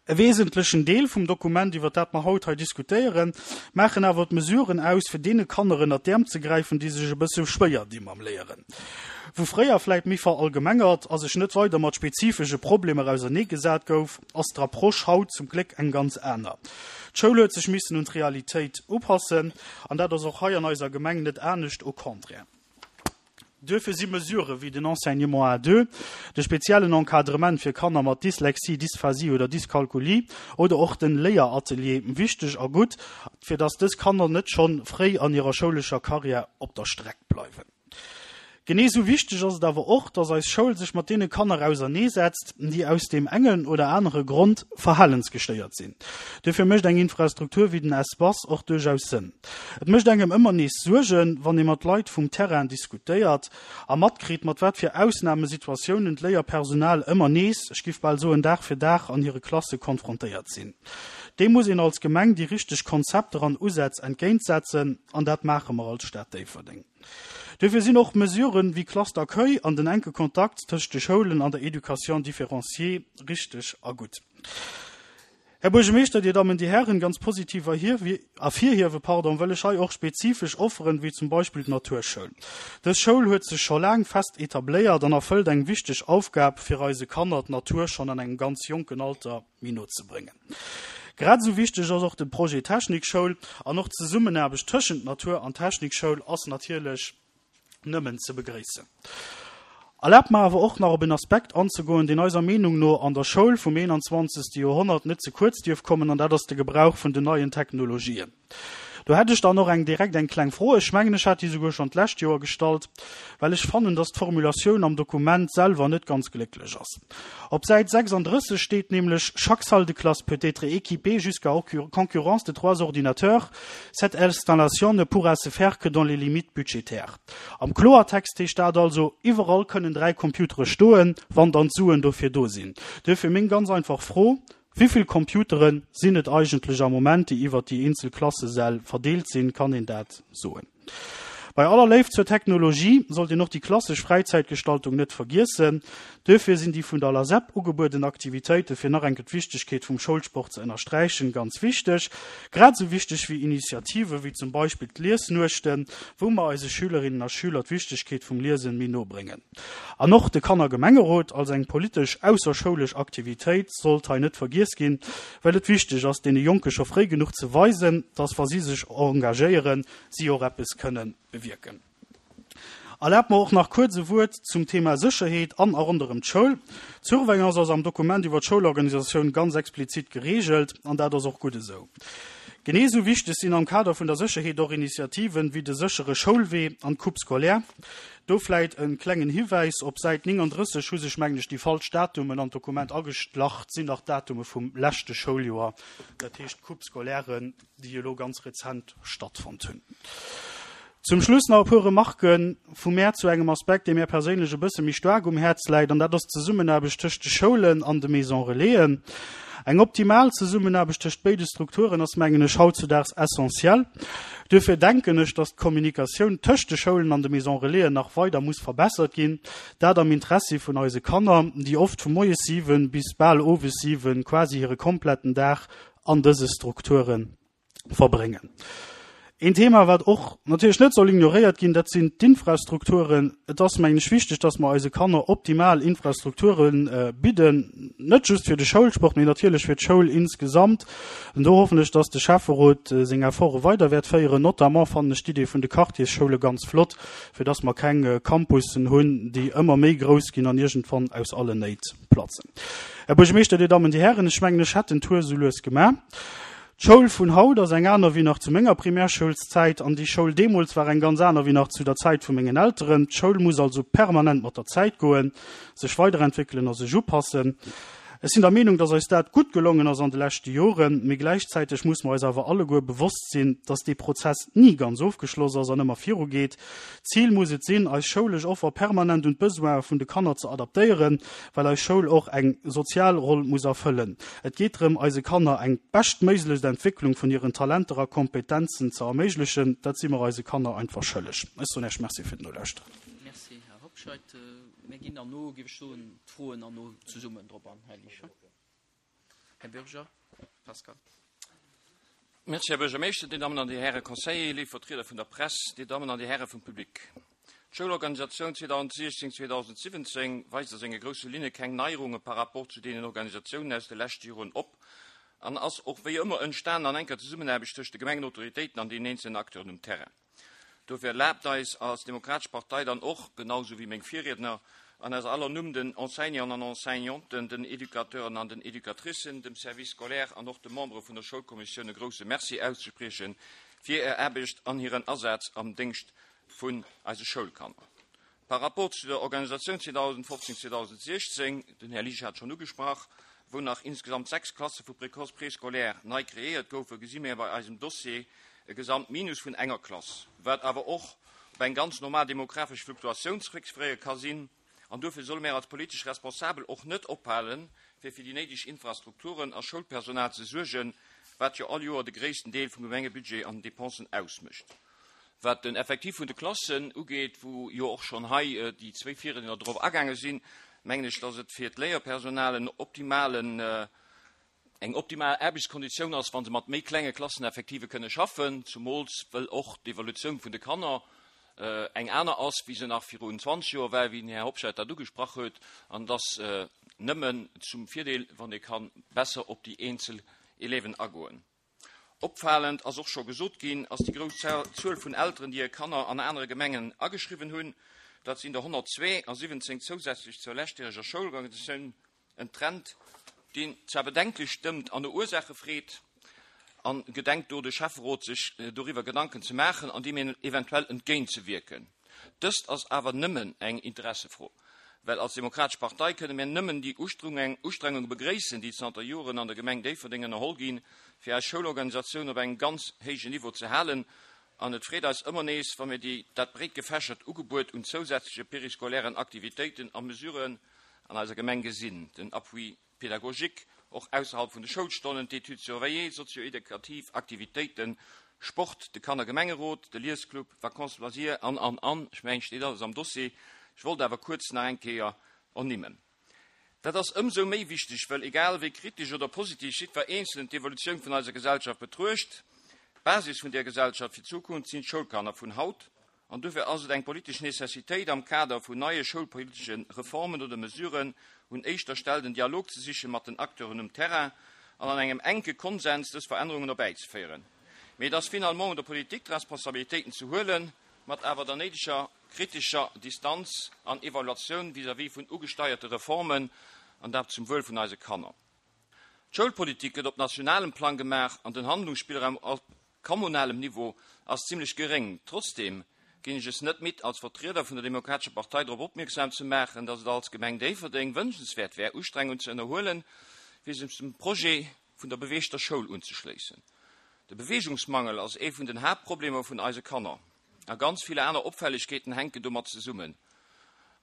E wesentlechen Deel vum Dokument, iwwer dat mer haut hei diskutéieren, maachen awer d'Mesuren aus, fir deene Kanner ënnert d'Äerm ze gräifen, déi sech e bësse schwéier di mam Léieren. Wou fréier vläit méi verallgemengert a sech net weider mat spezifesche Problemer auserneegesat gouf, ass d'Approche haut zum Gléck eng ganz aner. D'Schoul huet sech missen un d'Realitéit upassen, an dat ass och hei an eiser Gemeng net anescht, au contraire. Duerfir si Mesurë wéi den Enseignement à deux, de speziellen Encadrement fir Kanner mat Dyslexie, Dysphasie oder Dyskalkulie oder och den Léieratelier wichteg a gutt, fir dass dës Kanner net schonn fréi an hirer schoulescher Karriär op der Streck bleiwen. Genee sou wichteg ass et awer och, dass eis Schoul sech mat deene Kanner auserneesetzt, déi aus deem engen oder anere Grond verhalensgestéiert sinn. Duerfir mécht eng Infrastruktur wéi den Espace och duerchaus Sënn. Et mécht engem ëmmer nees Suergen, wann ee mat Leit vum Terrain diskutéiert a matkritt, mat wat fir Ausnamesituatiounen d'Léierpersonal ëmmer nees, ech giff bal soen Dag fir Dag, an hire Klasse konfrontéiert sinn. Deem muss een als Gemeng déi richteg Konzepter an Usätz entgéintsetzen, an dat maache mer als Stad Déifferdeng. Duerfir sinn och Mesuren wéi Classe d'accueil an den enke Kontakt tëscht de Schoulen an der Éducation différenciée richteg a gutt. Här Buergermeeschter, Dir Dammen, Dir Hären, ganz positiv ervirhiewe pardon, wëll ech hei och spezifesch Offeren, wéi zum Beispill d'Naturschoul. Dës Schoul huet sech scho laang fest etabléiert an erfëllt eng wichteg Aufgab, fir eise Kanner d'Natur schonn an engem ganz jonken Alter méi no ze bréngen. Grad esou wichteg ass och de Projet Technikschoul an och d'Zesummenaarbecht tëschent Natur an Technikschoul ass natierlech nëmmen ze begréissen. Erlaabt mer awer och nach op en Aspekt anzegoen, deen eiser Meenung no an der Schoul vum eenanzwanzegste Joerhonnert net ze kuerz dierf kommen, an dat ass de Gebrauch vun den neien Technologien. Do hätt ech dann och eng direkt eng kleng Fro, ech mengen, ech hat déi souguer schonn d'lescht Joer gestallt, well ech fannen, dass d'Formulatioun am Dokument selwer net ganz glécklech ass. Op Säit sechsandrësseg steet nämlech, Chaque salle de classe peut être équipée jusqu'à concurrence de trois ordinateurs. Cette installation ne pourra se faire que dans les limites budgétaires. Am Kloertext heescht dat also, Iwwerall kënnen dräi Computere stoen, wann dann d'Suen dofir do sinn. Duerfir meng ganz einfach Fro, Wéivill Computere sinn et eigentlech am Moment, déi iwwert déi eenzel Klassesäll verdeelt sinn? Kann een dat soen? Bei aller Léift zur Technologie sollt een och déi klassesch Fräizäitgestaltung net vergiessen. Duerfir sinn déi vun der LASEP ugebueden Aktivitéite fir nach eng Kéier d'Wichtegkeet vum Schoulsport ze ënnersträichen, ganz wichteg. Grad esou wichteg wéi Initiative wéi zum Beispill d'Liesnuechten, wou mer eise Schülerinnen a Schüler d'Wichtegkeet vum Liesen méi no bréngen. An och de Kannergemengerot als eng politesch ausserschoulesch Aktivitéit sollt hei net vergiess ginn, well et wichteg ass, deene Jonke scho fréi genuch ze weisen, dass wa si sech engagéieren, si och eppes kënne bewierken. Erlaabt mer och nach kuerz e Wuert zum Thema Sécherheet an a ronderëm d'Schoul. D'Surveillance ass am Dokument iwwer d'Schoulorganisatioun ganz explizit gereegelt, an dat ass och gutt esou. Genee esou wichteg sinn am Kader vun der Sécherheet och Initiativen wéi de séchere Schoulwee an d'Coupe scolaire. Do vläit e klengen Hiwäis, Op Säit néngandrësseg hu sech, mengen ech, déi falsch Datumen an d'Dokument ageschlach. Et sinn nach d'Datume vum leschte Schouljoer, dat heescht d'Coupe scolaire, déi elo ganz rezent stattfonnt hunn. Zum Schluss nach e puer Remarque vu mär zu engem Aspekt, dee mär perséinlech e bësse méi staark um Häerz läit, an dat ass d'Zesummenaarbecht tëscht de Schoulen an de Maison-relaisen. Eng optimal Zesummenaarbecht tëscht béide Strukturen ass, mengen ech, hautzudaags essentiell. Duerfir denken ech, dass d'Kommunikatioun tëscht de Schoulen an de Maison Relaisen nach weider muss verbessert ginn, dat am Interessi vun eise Kanner, déi oft vu moies siwen bis bal owes siwen, quasi hire kompletten Dag an dëse Strukture verbréngen. Een Thema, wat och natierlech net soll ignoréiert ginn, dat sinn d'Infrastrukturen. Et ass, mengen ech, wichteg, dass mer eise Kanner optimal Infrastrukture bidden, net just fir de Schoulsport, mee natierlech fir d'Schoul insgesamt. An do hoffen ech, dass de Schäfferot seng Efforte weider wäert féieren. Notamment fannen ech d'Idee vun de Quartiersschoule ganz flott, fir dass mer keng Campussen hunn, déi ëmmer méi grouss ginn an iergendwann aus allen Néit platzen. Här Buergermeeschter, Dir Dammen, Dir Hären, ech mengen, ech hätt den Tour esou lues gemaach. D'Schoul vun haut ass eng aner wéi nach zu menger Primärschoulszäit an déi Schoul deemools war eng ganz aner wéi nach zu der Zäit vu mengen Elteren. D'Schoul muss also permanent mat der Zäit goen, sech weiderentwéckelen a sech upassen. Ech sinn der Meenung, dass eis dat gutt gelongen ass an de leschte Joren, mee gläichzäiteg muss mer eis awer alleguer bewosst sinn, dass dee Prozess ni ganz ofgeschloss ass an ëmmer virugeet. D'Zil muss et sinn, eis schoulesch Offer permanent un d'Besoine vun de Kanner ze adaptéieren, well eis Schoul och eng sozial Roll muss erfëllen. Et geet drëm, eise Kanner eng beschtméiglechst Entwécklung vun hiren Talenter a Kompetenzen ze erméiglechen. Dat si mer eise Kanner einfach schëlleg. Ech soen Iech Merci fir d'Nolauschteren. Merci, Här Hobscheit. Mir ginn herno, géif ech soen, d'Froen herno zesummen drop an, Här Liesch. Här Bürger Pascal. Merci, Här Buergermeeschter, Dir Dammen an Dir Häre Conseiller, léif Vertrieder vun der Press, Dir Dammen an Dir Häre vum Public. D'Schoulorganisatioun zweedausendsiechzéng zweedausendsiwwenzéng weist a senge grousse Linne keng Neierunge par rapport zu deenen Organisatiounen aus de leschte Joren op an ass och wéi ëmmer entstanen an enker Zesummenaarbecht tëscht de Gemengenautoritéiten an deenen eenzelnen Acteuren um Terrain. Dofir erlaabt eis als Demokratesch Partei dann och, genau sou wéi meng Virriedner, an eiser aller Numm den Enseignanten an Enseignanten, den Educateuren an den Educatricen, dem Service scolaire an och de Membere vun der Schoulkommissioun e grouse Merci auszesprieche fir hir Aarbecht an hiren Asaz am Déngscht vun eise Schoulkanner. Par rapport zu der Organisatioun zweedausendfofzéng zweedausendsiechzéng, den Här Liesch hat schonn ugesprach, wou nach insgesamt sechs Klasse vu Précoce, Préscolaire nei kreéiert goufen, gesi mir bei eisem Dossier e Gesamtminus vun enger Klass, wat awer och op eng ganz normal demografesch Fluktuatioun zréckzeféiere ka sinn. An duerfir solle mir als politesch Responsabel och net ophalen, fir fir déi néideg Infrastrukturen a Schoulpersonal ze suergen, wat jo all Joer de gréissten Deel vum Gemengebudget an den Dépensen ausmécht. Wat den Effektiv vun de Klassen ugeet, wou jo och schonn hei déi zwéi Virriedner drop agaange sinn, mengen ech, dass et fir d'Léierpersonal en optimalen, eng optimal Aarbechtskonditioun ass, wa se mat méi klenge Klasseneffektive kënne schaffen, zumools wëll och d'Evolutioun vun de Kanner eng aner ass, wéi se nach virun zwanzeg Joer war, wéi den Här Hobscheit dat ugesprach huet, an et ass nëmmen zum Virdeel, wann ee ka besser op déi eenzel Élèven agoen. Opfalend, ass och scho gesot ginn, ass déi grouss Zuel vun Elteren, déi hir Kanner an anere Gemengen ageschriwwen hunn. Dat sinn der honnertzwee a siwwenzéng zousätzlech zur leschtjäreger Schoulorganisatioun. En Trend, deen zwar bedenklech stëmmt an no Ursaache freet. An gedenkt do de Schäfferot sech doriwwer Gedanken ze maachen an deem eventuell entgéint ze wierken? Dëst ass awer nëmmen eng Interessefro, well als Demokratesch Partei kënne mir nëmmen déi Ustrengunge begréissen, déi zanter Joren an der Gemeng Déifferdeng ënnerholl ginn, fir eis Schoulorganisatioun op engem ganz héijen Niveau ze halen. An et freet eis ëmmer nees, wa mir déi dat breet gefächert Ugebuet un zousätzleche périscolairen Aktivitéiten a Mesuren an eiser Gemeng gesinn. Den Appui pédagogique, och ausserhalb vun de Schoulstonnen, d'Études surveillées, sozio-edukativ Aktivitéiten, Sport, de Kannergemengerot, de Liesclub, Vacances loisirs an, an, an. Ech mengen, et steet alles am Dossier. Ech wollt awer kuerz nach eng Kéier ernimmen. Dat ass ëmsou méi wichteg, wëll egal wéi kritesch oder positiv jiddwer Eenzelen d'Evolutioun vun eiser Gesellschaft betruecht, d'Basis vun där Gesellschaft fir d'Zukunft sinn d'Schoulkanner vun haut. An dofir ass et eng politesch Necessitéit, am Kader vun neie schoulpolitesche Reformen oder Mesuren un éischter Stell den Dialog ze siche mat den Acteuren um Terrain an an engem enke Konsens dës Verännerungen erbäizeféieren. Mee et ass finalement un der Politik, d'Responsabilitéiten ze huelen, mat awer der néideger kritescher Distanz an Evaluatioun vis-à-vis vun ugesteierte Reformen, an dat zum Wuel vun eise Kanner. D'Schoulpolitik gëtt op nationalem Plang gemaach an den Handlungsspillraum op kommunalem Niveau ass zimlech geréng. Trotzdeem ginn ech es net midd, als Vertrieder vun der Demokratescher Partei drop opmierksam ze maachen, datt et als Gemeng Déifferdeng wënschenswäert wär, Ustrengungen ze ënnerhuelen, fir sech dem Projet vun der beweegter Schoul unzeschléissen. De Beweegungsmangel ass ee vun den Haaptproblemer vun eise Kanner. A ganz vill aner Opfällegkeeten hänken domat zesummen.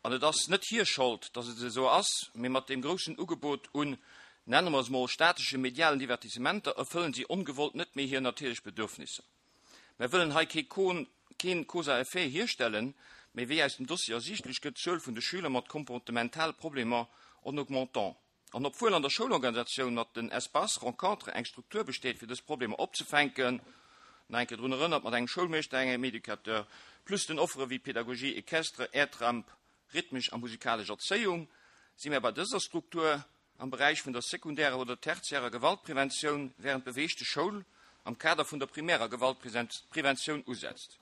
An et ass net hir Schold, datt et esou ass, mee mat deem groussen Ugebot un Nennen wir es mal statesche medialen Divertissementer, erfüllen sie ongewollt net méi hir natierlech Bedürfnisser. Mir wëllen hei keen Cause-à-effet hierstellen, mee wéi aus dem Dossier ersiichtlech gëtt, d'Zuel vun de Schüler mat komportementale Problemer en augmentant. An obwuel an der Schoulorganisatioun mat den Espaces rencontre eng Struktur besteet, fir dës Problemer opzefänken, nach eng Kéier drun erënnert, mat engem Schoulmeeschter, engem Educateur, plus den Offere wéi Pédagogie équestre, Airtramp, rhythmesch a musikalesch Erzéiung, si mir bei dëser Struktur am Beräich vun der sekundärer oder tertiärer Gewaltpreventioun, wärend d'Beweegte Schoul am Kader vun der primärer Gewaltpreventioun usetzt.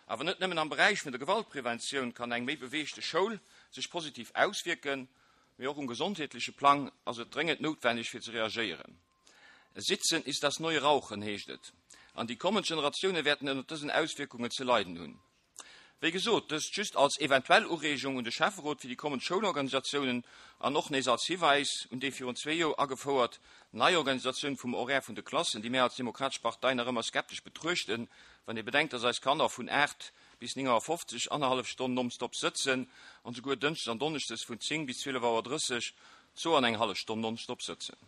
Awer net nëmmen am Beräich vun der Gewaltpreventioun kann eng méi beweegte Schoul sech positiv auswierken, mee och um gesondheetleche Plang ass et dréngend noutwenneg fir ze reagéieren. Sitzen ist das neue Rauchen, heescht et. An déi kommend Generatioune wäerten ënner dësen Auswierkungen ze leiden hunn. Wéi gesot, dëst just als eventuell Ureegung un de Schäfferot fir déi kommend Schoulorganisatiounen an och nees als Hiwäis un déi virun zwee Joer agefouert nei Organisatioun vum Horaire vun de Klassen, déi mir als Demokratesch Partei nach ëmmer skeptesch betruechten, wann ee bedenkt, dass eis Kanner vun aacht bis néng Auer fofzeg annerhallef Stonn nonstop sëtzen an souguer dënschdes an donneschdes vun zéng bis zwielef Auer drësseg zwou an eng hallef Stonn nonstop sëtzen.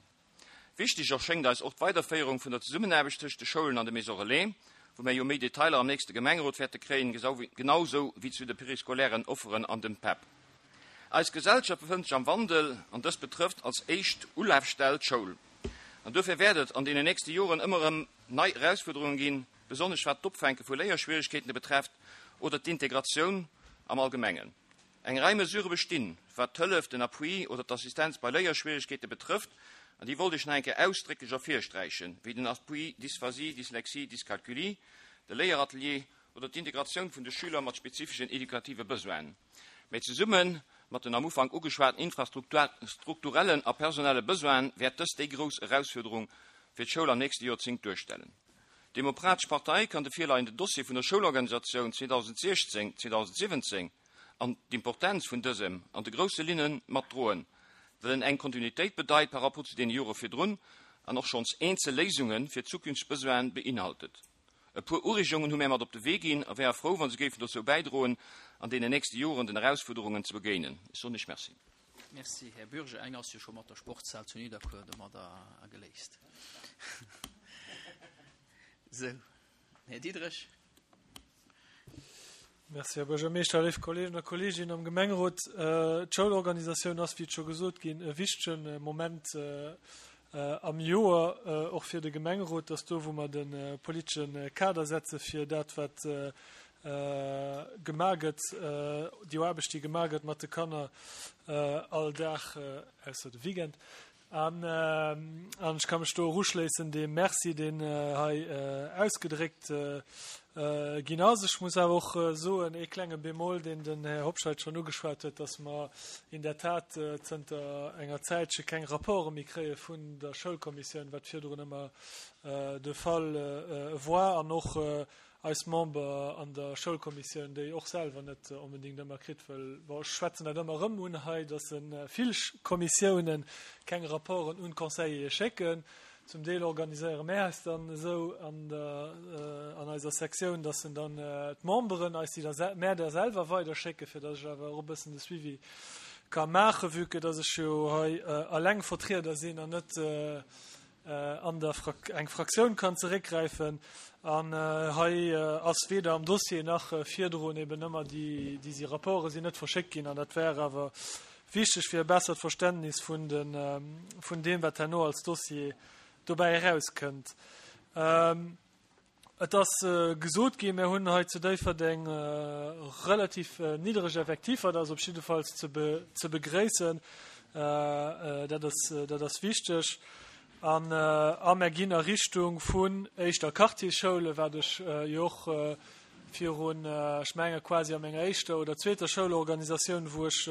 Wichteg erschéngt eis och d'Weiderféierung vun der Zesummenaarbecht tëscht de Schoulen an de Maisons Relais, wou mir jo méi Detailer am nächste Gemengerot wäerte kréien, genausou wéi zu de périscolairen Offeren an dem PEP. Eis Gesellschaft befënnt sech am Wandel an dëst betrëfft als éischt Ulafstell d'Schoul. An dofir wäert et an deenen nächste Joren ëmmer erëm nei Erausfuerderunge ginn, besonnesch wat d'Opfänke vu Léierschwieregkeeten betrefft oder d'Integratioun am Allgemengen. Eng Rei Mesurë bestinn, wat d'Hëllef, den Appui oder d'Assistenz bei Léierschwieregkeete betrëfft, an déi wollt ech nach eng Kéier ausdrécklech ervirsträichen, wéi den Appui Dysphasie, Dyslexie, Dyscalculie, de Léieratelier oder d'Integratioun vun de Schüler mat spezifeschen edukative Besoinen. Mee zesumme mat den am Ufank ugeschwaten infrastrukturellen a personelle Besoine wäert dëst déi grouss Erausfuerderung fir d'Schoul am nächste Joerzéngt duerstellen. D'Demokratesch Partei kann de virleiende Dossier vun der Schoulorganisatioun zweedausentsiechzéng, zweedausentsiwwenzéng an d'Importenz vun dësem an de grousse Linne matdroen, well en eng Kontinuitéit bedeit par rapport zu deene Jore virdrun an och schonns eenzel Léisunge fir zukünfteg Besoine beinhaltet. E puer Ureegungen hu mir mat op de Wee ginn a wäre frou, wa se géifen dozou bäidroen, an deenen nächste Joren den Erausfuerderungen ze begéinen. Ech soen Iech Merci. Merci, Här Bürger. Eng ass jo scho mat der Sportshal zu Nidderkuer domadder geléist. Sou, Här Diderich. Merci, Här Buergermeeschter, léif Kolleegen a Kolleeginnen am Gemengerot. D'Schoulorganisatioun ass, wéi et scho gesot ginn, e wichtege Moment am Joer, och fir de Gemengerot, dass do, wou mer de politesche Kader setze fir dat, wat gemaach gëtt, déi Aarbecht, déi gemaach gëtt mat de Kanner all Dag, ausser de Weekend. An ech ka mech do och uschléissen deem Merci, deen hei ausgedréckt ginn ass. Ech muss awer och soen, ee klenge Bémol, deen den Här Hobscheit schonn ugeschwat huet, dass mer in der Tat zënter enger Zäitche keng Rapporte méi kréie vun der Schoulkommissioun, wat virdrun ëmmer de Fall war, an och eis Member an der Schoulkommissioun déi och selwer net onbedéngt ëmmer kritt, well, bon, ech schwätzen dat ëmmer erëm un hei, dass vill Kommissiounen keng Rapporten un d'Conseillere schécken. Zum Deel organiséiere mär eis dann esou an der, an eiser Sektioun, dass en dann d'Memberen eis déi da mär da selwer weiderschécken, fir dass ech awer och e bëssen de Suivi ka maachen, vue que dass ech jo hei alleng Vertrieder sinn an net an der eng Fraktioun kann zeréckgräifen. An hei ass weder am Dossier nach virdrun eben ëmmer déi, déi si Rapporte sinn net verschéckt ginn. An dat wär awer wichteg fir e bessert Verständnis vun de, vun deem, wat herno als Dossier dobäi erauskënnt. Et ass gesot ginn, mir hunn hei zu Déifferdeng relativ niddereg Effektiver, dat ass op jiddefalls ze begréissen, dat ass, dat ass wichteg. An a mer ginn a Richtung vun éischter Quartiersschoule, wat ech jo och virun, ech menge quasi a menger éischter oder zweeter Schoulorganisatioun, wou ech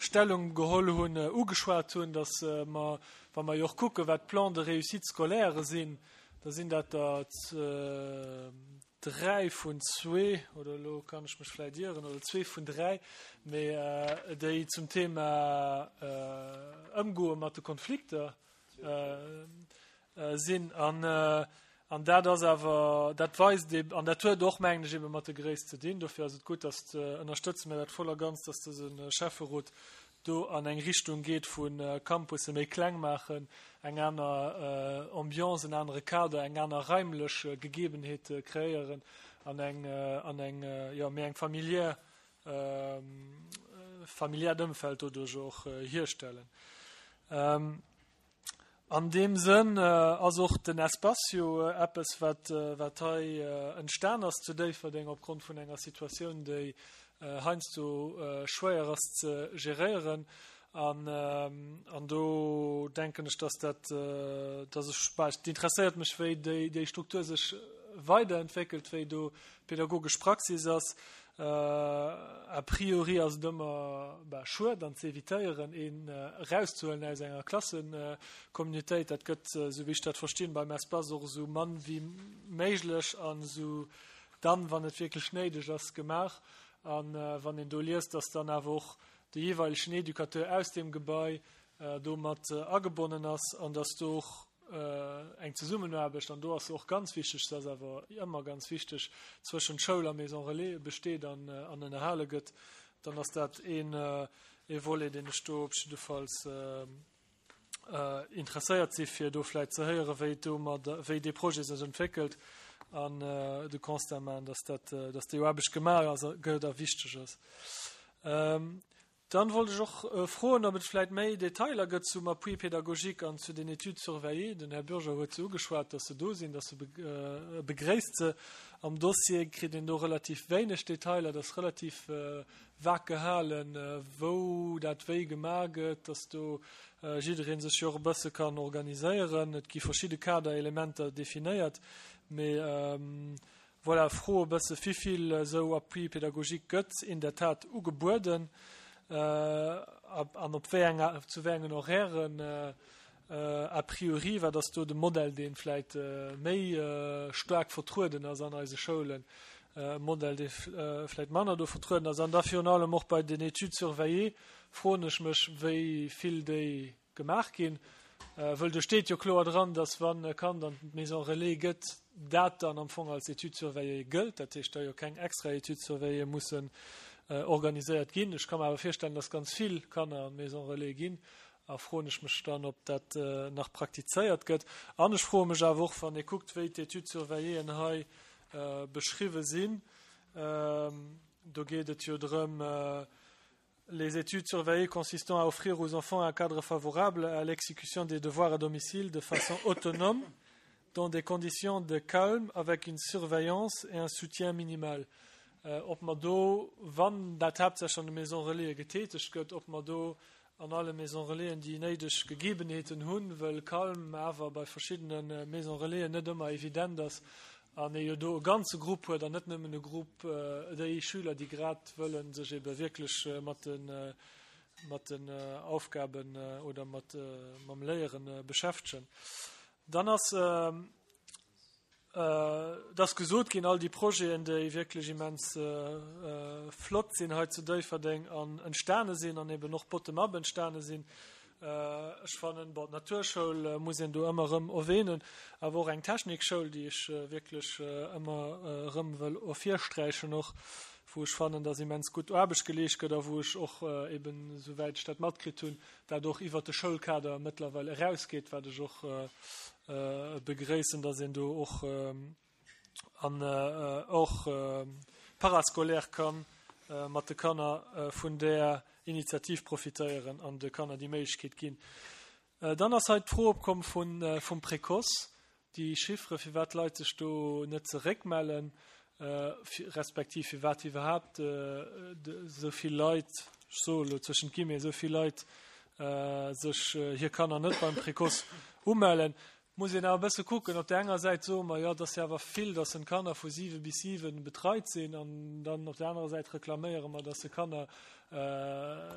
Stellung geholl hunn, ugeschwat hunn, datt mer, wa mer jo och kucken, wat d'Plans de réussite scolaire sinn, da sinn dat der dräi vun zwee, oder elo kann ech mech vläicht ieren, oder zwee vun dräi, mee déi zum Thema Ëmgoe mat de Konflikter sinn. An, an dat ass awer, dat weist eben, an dat huet och, mengen ech, ebe mat der Gréisst ze dinn. Dofir ass et gutt, dass, ënnerstëtze mir dat voll a ganz, dass dëse Schäfferot do an eng Richtung geet vu Campusse méi kleng maachen, eng aner Ambiance, en anere Kader, eng aner raimlech Gegebenheet kreéieren an eng an eng jo méi eng familiär familiäert Ëmfeld doduerch och hierstellen. An deem Sënn ass och den Espacio eppes, wat wat hei entstan ass zu Déifferdeng opgrond vun enger Situatioun, déi heiansdo schwéier ass ze geréieren. An an do denken ech, dass dat dass ech bah, et interesséiert mech, wéi déi déi Struktur sech weiderentwéckelt, wéi do d'pädagogesch Praxis ass. A priori ass et ëmmer bah, schued an ze evitéieren, een erauszehuelen aus enger Klassekommunitéit. Dat gëtt, esou wéi ech dat verstinn, beim Espace och esou mann wéi méiglech an esou dann, wann et wierklech néideg ass, gemaach. A wann een do liest, dass dann awer och de jeeweilegen Educateur aus deem Gebai do mat agebonnen ass an dass do och eng Zesummenaarbecht, an do ass se och ganz wichteg, se ass awer ëmmer ganz wichteg, zwëschent Schoul a Maison Relais besteet an ënnerhale gëtt, dann ass dat een Volet, deen ech do op jiddefalls interesséiert si fir do vläit ze héieren, wéi do mat, wéi dee Projet sech entwéckelt an de Constat maachen, dass dat, dass déi Aarbecht gemaach ass, gëtt a wichteg ass. Dann wollt ech och froen, ob et vläit méi Detailer gëtt zum Appui pédagogique an zu den Études surveillées. Den Här Bürger huet se ugeschwat, dass se do sinn, dass se begréisst se. Am Dossier kritt een do relativ wéineg Detailer, dat ass relativ vag gehalen, wou dat wéi gemaach gëtt, dass do jidderee sech jo och e bësse kann organiséieren. Et gi verschidde Kaderelementer definéiert, mee voilà, Fro e bësse, wivill esou Appui pédagogique gëtt in der Tat ugebueden an op wéi enger, zu wéi engen Horairen a priori, wat ass do de Modell, dee vläit méi staark vertrueden ass an eise Schoulen, e Modell, dee vläit manner do vertrueden ass. An da virun allem och bei den Études surveillées froen ech mech, wéi vill déi gemaach ginn, wëll do steet jo kloer dran, dass wann e Kand an d'Maison relais gëtt, dat dann am Fong als Étude surveillée gëllt, dat heescht, da jo keng extra Études surveillées mussen organiséiert ginn. Ech ka mer awer virstellen, dass ganz vill Kanner an d'Maison relais ginn, a froen ech mech dann, ob dat nach praktizéiert gëtt. An ech froe mech awer och, wann ee kuckt, wéi d'Études surveilléeën hei beschriwwe sinn, do geet et jo drëm, les études surveillées consistant à offrir aux enfants un cadre favorable à l'exécution des devoirs à domicile de façon autonome, dans des conditions de calme, avec une surveillance et un soutien minimal. Ob mer do, wann dat haaptsächlech an de Maisons Relaisen getätegt gëtt, ob mer do an alle Maisons Relaisen déi néideg Gegebenheeten hunn, wëll Calme awer bei verschiddene Maisons Relaisen net ëmmer evident ass an ee jo do e ganze Grupp huet an net nëmmen e Grupp, déi Schüler, déi grad wëlle sech ebe wierklech mat de mat den Aufgaben oder mat mam Léieren beschäftegen. Dann ass Et ass gesot ginn, all déi Projeten, déi wierklech immens flott sinn hei zu Déifferdeng an entstane sinn an eben och bottom-up entstane sinn. Ech fannen, bon, d'Naturschoul muss een do ëmmer erëm erwähnen, awer och eng Technikschoul, déi ech wierklech ëmmer erëm wëll ervirsträichen och, wou ech fannen, dass immens gutt Aarbecht geleescht gëtt a wou ech och eben, esouwäit ech dat matkritt hunn, dat och iwwert de Schoulkader mëttlerweil erausgeet, wat ech och begréissen, dass een do och an och parascolaire ka mat de Kanner vun där Initiativ profitéieren an de Kanner déi Méiglechkeet ginn. Dann ass hei d'Fro opkomm vum Précoce, déi Chiffre, firwat d'Leit sech do net zeréckmellen, respektiv firwat iwwerhaapt esou vill Leit, ech soe elo zwëschent Guillemets, esou vill Leit sech hir Kanner net beim Précoce umellen. Muss een awer e bësse kucken. Op där enger Säit soe mer, jo, et ass jo awer vill, dass en Kanner vu siwe bis siwen betreit sinn, an dann op där anerer Säit reklaméiere mer, dass se Kanner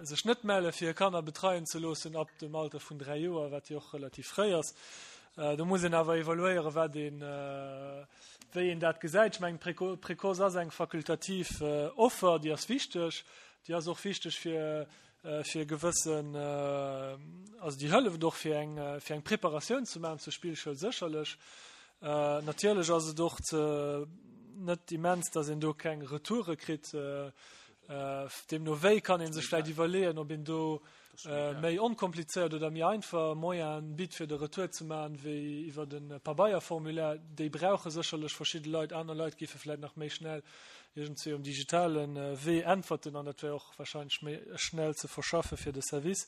sech net melle fir hir Kanner betreien ze loossen ab dem Alter vun dräi Joer, wat jo och relativ fréi ass. Do muss een awer evaluéieren, wat een, wéi een dat gesäit. Ech mengen, Précoce ass eng fakultativ Offer, déi ass wichteg. Déi ass och wichteg fir, fir gewëssen, also déi hëlleft och fir eng, fir eng Preparatioun ze maachen zur Spillschoul sécherlech. Natierlech ass et och ze, net immens, dass een do keng Retoure kritt. Deemno wéi kann ee sech vläicht iwwerleeën, ob een do méi onkomplizéiert oder méi einfach Moyen bitt fir de Retour ze maachen, wéi iwwer de Pabeierformulaire. Déi brauche sécherlech verschidde Leit, aner Leit géife vläicht nach méi schnell iergendzwéi um digitale Wee äntwerten an dat wär och wahrscheinlech méi schnell ze verschaffe fir de Service.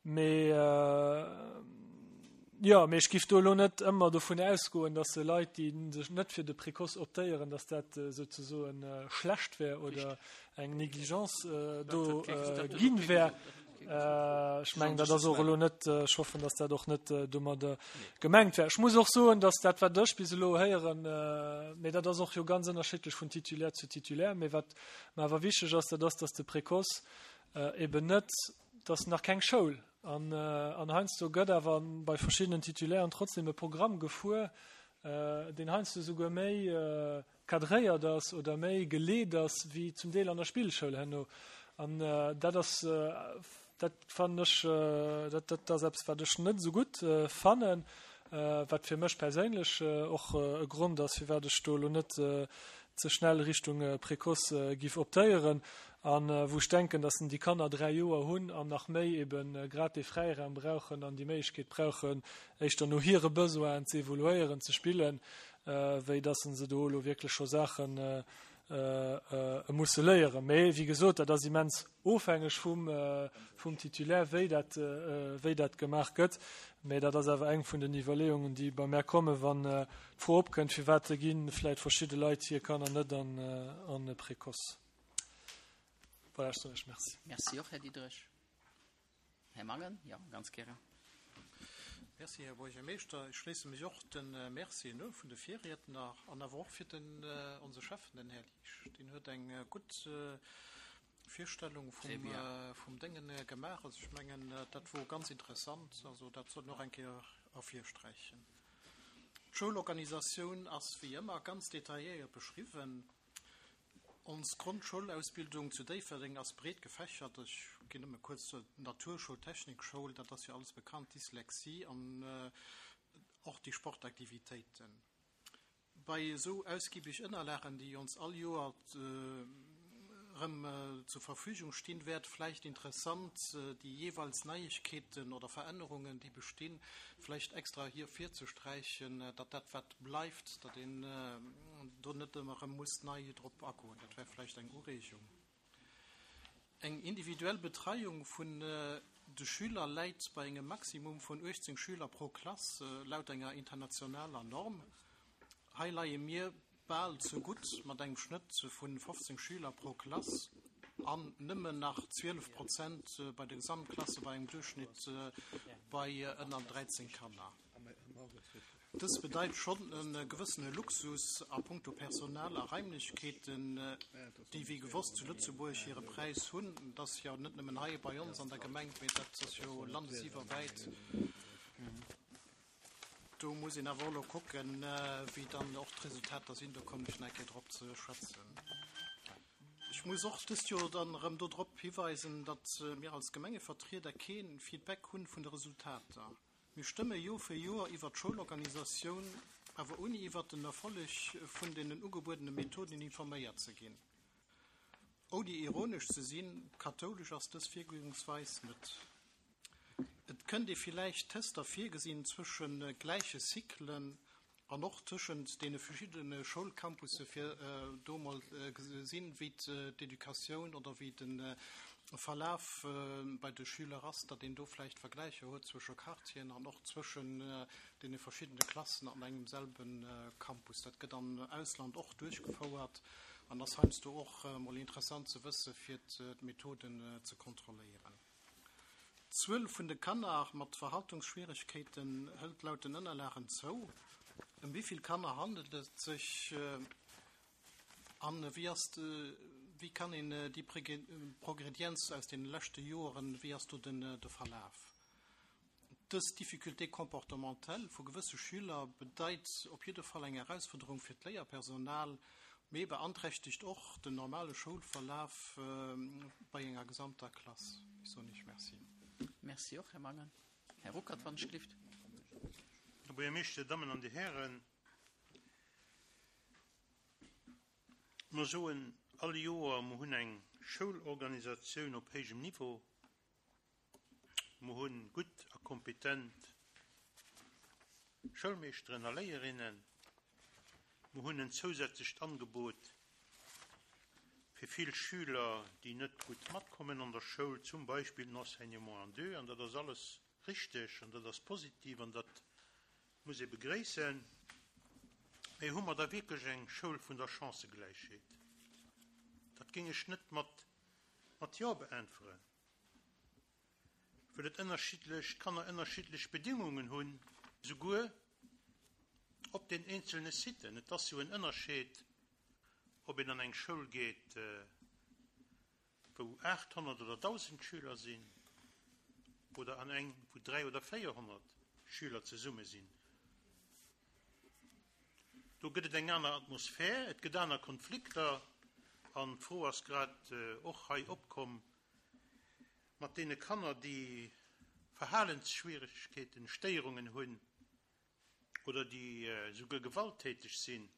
Mee jo, mee ech giff do elo net ëmmer dovun ausgoen, dass Leit, déi sech net fir de Précoce optéieren, dass dat souzesoen schlecht wär oder eng Négligence do ginn wär. Ech mengen, dat ass och elo net, ech hoffen, dass dat och net domadder gemengt wär. Ech muss och soen, dass dat, wat ech bis elo héieren, mee dat ass och jo ganz ënnerschiddlech vun Titulaire zu Titulaire, mee wat mer awer wichteg ass, dat ass, dass de Précoce eben net, dat ass nach keng Schoul an an heiansdo gëtt awer bei verschiddenen Titulairen trotzdem e Programm gefuer, deen heiansdo souguer méi cadréiert ass oder méi geleet ass wéi zum Deel an der Spillschoul herno. An dat ass, dat fannen ech, dat dat ass eppes, wat ech net esou gutt fannen, wat fir mech perséinlech och e Grond ass, firwat ech do elo net ze schnell Richtung Précoce giff optéieren an wou ech denken, dass déi Kanner dräi Joer hunn an nach méi eben grad dee Fräiraum brauchen an déi Méiglechkeet brauchen, éischter no hire Besoinen ze evoluéieren, ze spillen, wéi dass se do elo wierklech scho Saachen musse léieren. Mee wéi gesot, dat ass immens ofhängeg vum, vum Titulaire, wéi dat, wéi dat gemaach gëtt. Mee dat ass awer eng vun den Iwwerleeungen, déi bei mär kommen, wann d'Fro opkënnt, firwat gi vläicht verschidde Leit hir Kanner net an, an e Précoce. Voilà, ech soen lech Merci. Merci och, Här Diderich. Här Mangen, jo, ganz gären. Merci, Här Buergermeeschter. Ech schléisse mech och de Mercien u vun de Virriedner an awer och fir den, onse Schäffen, den Här Liesch. Deen huet eng gutt Virstellung vum, vum Déngen gemaach. Also ech mengen, dat wor ganz interessant. Also dat sollt een och eng Kéier ervirsträichen. D'Schoulorganisatioun ass wéi ëmmer ganz detailléiert beschriwwen. Ons Grondschoulausbildung zu Déifferdeng ass breet gefächert. Ech ginn nëmme kuerz zur Naturschoul, Technikschoul, dat ass jo alles bekannt, Dyslexie an och déi Sportaktivitéiten. Bei esou ausgiebig Ënnerlagen, déi ons all Joer erëm zur Verfügung stinn, wär et vläicht interessant, déi jeeweils Neiegkeeten oder Verännerungen, déi bestinn, vläicht extra hier virzesträichen, datt dat, wat bleift, datt een do net ëmmer erëm muss nei drop agoen. Dat wär vläicht eng Ureegung. Eng individuell Betreiung vun de Schüler läit bei engem Maximum vun uechtzéng Schüler pro Klass, laut enger internationaler Norm. Hei leie mir bal ze gutt mat engem Schnëtt vu fofzéng Schüler pro Klass an nëmmen nach zwielef Prozent bei de Gesamtklasse bei engem Duerchschnitt bei ënner dräizéng Kanner. Dës bedeit schonn e gewëssene Luxus a punkto Personal a Raimlechkeeten, déi wéi gewosst zu Lëtzebuerg hire Präis hunn. Dat ass jo net nëmmen hei bei ons an der Gemeng, mee dat ass jo landesiwwerwäit. Do muss een awer och elo kucken, wéi dann och d'Resultater sinn. Do kommen ech nach eng Kéier drop ze schwätzen. Ech muss och dëst Joer dann erëm do drop hiweisen, datt mir als Gemengevertrieder kee Feedback hunn vun de Resultater. Mir stëmme Joer fir Joer iwwert d'Schoulorganisatioun, awer ouni iwwert den Erfolleg vun deenen ugebuedene Methoden informéiert ze ginn. Ouni ironesch ze sinn, kathoulesch ass dës Virgoungsweis net. Et kënnt ee villäicht Tester virgesinn zwësche gläiche Cyclen an och tëschent deene verschiddene Schoulcampusse fir do mol gesinn, wéi d'Educatioun oder wéi de Verlaf bei de Schüler ass, datt een do vläicht Vergläicher huet zwësche Quartieren an och zwëschen deene verschiddene Klassen an engem selbe Campus. Dat gëtt am Ausland och duerchgefouert an ass heiansdo och mol interessant ze wësse fir d'Methoden ze kontrolléieren. D'Zuel vun de Kanner mat Verhaltungsschwieregkeeten hëlt laut den Ënnerlagen zou. Ëm wéi vill Kanner handelt et sech an wéi ass de, wéi kann een déi Progredienz aus deene leschte Joeren, wéi ass do den de Verlaf? Dës Difficulté comportementale vu gewësse Schüler bedeit op jidde Fall eng Erausfuerderung fir d'Léierpersonal, mee beanträchtegt och den normale Schoulverlaf bei enger gesamter Klass. Ech soen Iech Merci. Merci och, Här Mangen. Här Ruckert, wann ech glift. Här Buergermeeschter, Dir Dammen an Dir Hären, mer soen all Joer, mer hunn eng Schoulorganisatioun op héijem Niveau, mer hu gutt a kompetent Schoulmeeschteren a Léierinnen, mer hunn en zousätzlecht Angebot fir vill Schüler, déi net gutt matkommen an der Schoul, zum Beispill den Enseignement en deux, an dat ass alles richteg an dat ass positiv an dat muss ee begréissen. Mee hu mer da wierklech eng Schoul vun der Chancëgläichheet? Dat géing ech net mat mat Jo beäntweren, well et ënnerschiddlech Kanner ënnerschiddlech Bedingungen hunn, souguer op den eenzelne Siten. Et ass jo en Ënnerscheed, ob een an eng Schoul geet, wou aachthonnert oder dausend Schüler sinn, oder an eng, wou dräi oder véierhonnert Schüler zesumme sinn. Do gëtt et eng aner Atmosphär, et gëtt aner Konflikter, an d'Fro ass grad och hei opkomm mat deene Kanner, déi Verhalensschwierigkeeten, Stéierungen hunn oder déi souguer gewalttäteg sinn,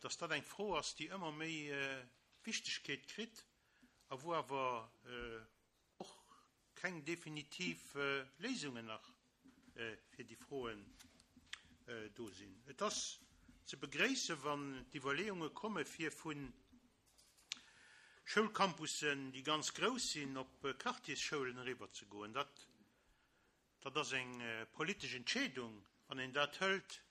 dass dat eng Fro ass, déi ëmmer méi Wichtegkeet kritt a wou awer och keng definitiv Léisungen nach fir déi Froen do sinn. Et ass ze begréissen, wann d'Iwwerleeunge komme fir vu Schoulcampussen, déi ganz grouss sinn, op Quartiersschoulen eriwwerzegoen. Dat, dat ass eng politesch Entscheedung, wann een dat hëlt.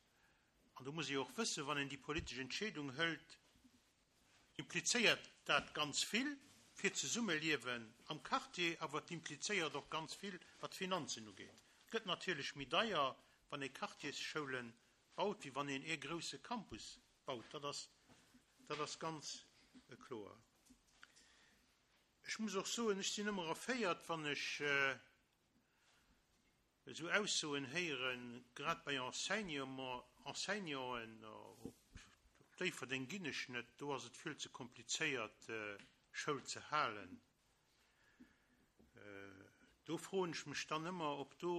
An do muss ee och wëssen, wann een déi politesch Entscheedung hëlt, implizéiert dat ganz vill fir d'Zesummeliewen am Quartier, awer et implizéiert och ganz vill, wat d'Finanzen ugeet. Et gëtt natierlech méi deier, wann ee Quartiersschoulen baut, wéi wann een ee grousse Campus baut. Dat ass, dat ass ganz kloer. Ech muss och soen, ech sinn ëmmer erféiert, wann ech esou Aussoen héieren, grad bei Enseignement, Enseignanten, op Déifferdeng ginn ech net, do ass et vill ze komplizéiert, Schoul ze halen. Do froen ech mech dann ëmmer, ob do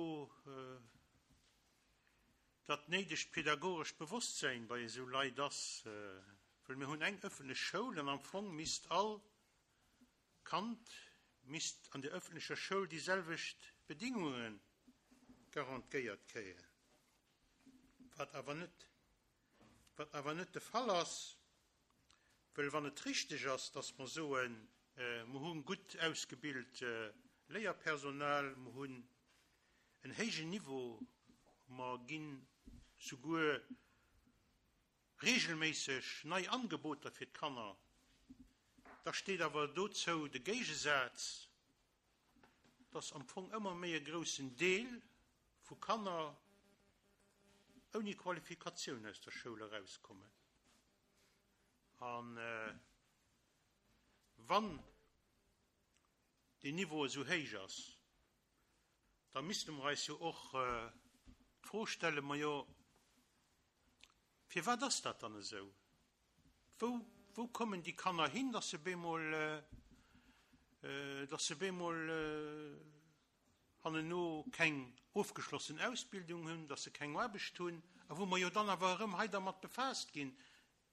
dat néidegt pedagogescht Bewosstsein bei esou Leit ass, well mir hunn eng ëffentlech Schoul an am Fong misst all Kand misst an der ëffentlecher Schoul déi selwecht Bedingunge garantéiert kréien, wat awer net, wat awer net de Fall ass, well wann et richteg ass, dass mer soen, mer hu gutt ausgebilt Léierpersonal, mer hunn en héijen Niveau, mer ginn souguer regelméisseg nei Angeboter fir d'Kanner, da steet awer dozou de Géigesaz, dass am Fong ëmmer méi e groussen Deel vu Kanner ouni Qualifikatioun aus der Schoul erauskommen. An wann deen Niveau esou héich ass, da misste mer eis jo och d'Fro stellen, majo, firwat ass dat dann esou? Wou, wou kommen déi Kanner hin, dass se bemol, dass se bemol hanneno keng ofgeschlossen Ausbildung hunn, dass se keng Aarbecht hunn, a wou mer jo dann awer erëm hei dermat befaasst ginn.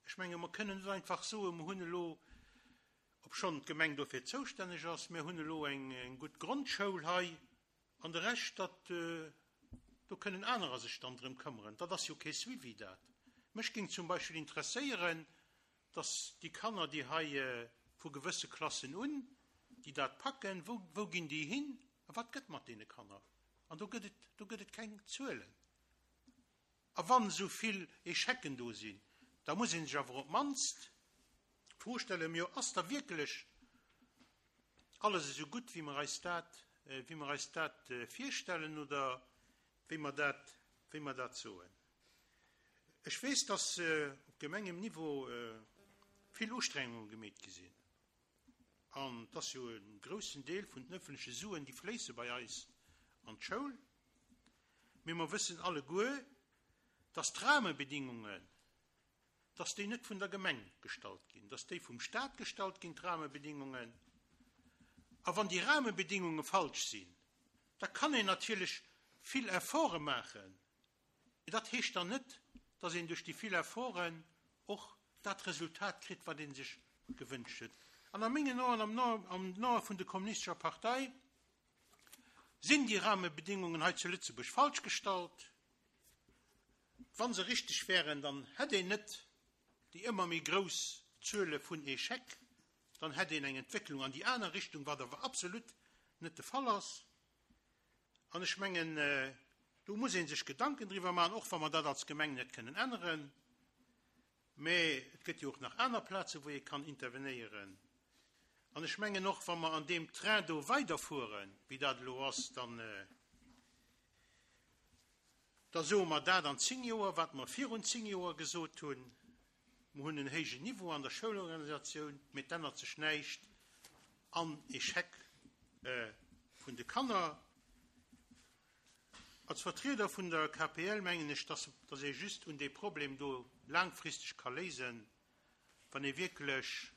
Ech menge mer kënnen net einfach soen, mer hunn elo, obschonn d'Gemeng dofir zoustänneg ass, mir hunn elo eng, eng gutt Grondschoul hei, an de Rescht, dat, do kënnen anerer sech dann drëm këmmeren. Dat ass jo kee Suivi, dat. Mech géing zum Beispill interesséieren, dass déi Kanner, déi hei vu gewësse Klassen un, déi dat packen, wou, wou ginn déi hin a wat gëtt mat deene Kanner? An do gëtt et, do gëtt et keng Zuelen. A wann esou vill Échecken do sinn, da muss ee sech awer op d'mannst d'Fro stellen, jo, ass da wierklech alles esou gutt, wéi mer eis dat, wéi mer eis dat virstellen oder wéi mer dat, wéi mer dat soen? Ech weess, dass op Gemengenniveau vill Ustrengunge gemeet gi sinn. An et ass jo e groussen Deel vun den ëffentleche Suen, déi fléisse bei eis an d'Schoul. Mee mer wëssen alleguer, dass d'Rahmebedingungen, dass déi net vun der Gemeng gestallt ginn, dass déi vum Staat gestallt ginn, d'Rahmebedingungen. A wann déi Rahmebedingunge falsch sinn, da kann een natierlech vill Efforte maachen. Mee dat heescht dann net, dass een duerch déi vill Efforten och dat Resultat kritt, wat ee sech gewënscht huet. An a mengen Aen, am am Ae vun der Kommunistescher Partei, sinn déi Rahmebedingungen hei zu Lëtzebuerg falsch gestallt. Wa se richteg wären, dann hätt een net déi ëmmer méi grouss Zuele vun Échec, dann hätt een eng Entwécklung an déi aner Richtung, wat awer absolut net de Fall ass. An ech mengen, do muss ee sech Gedanken driwwer maachen, och wa mer dat als Gemeng net kënnen änneren. Mä et gëtt jo och nach aner Plaze wou ee kann intervenéieren. An ech mengen och, wa mer an deem Train do weiderfueren, wéi dat elo ass, dann da soe mer dat an zéng Joer, wat mer virun zéng Joer gesot hunn. Mer hunn en héijen Niveau an der Schoulorganisatioun, mä et ännert sech näischt an Échec vun de Kanner. Als Vertrieder vun der K P L mengen ech, dass, dass ee just un dee Problem do laangfristeg ka léisen, wann ee wierklech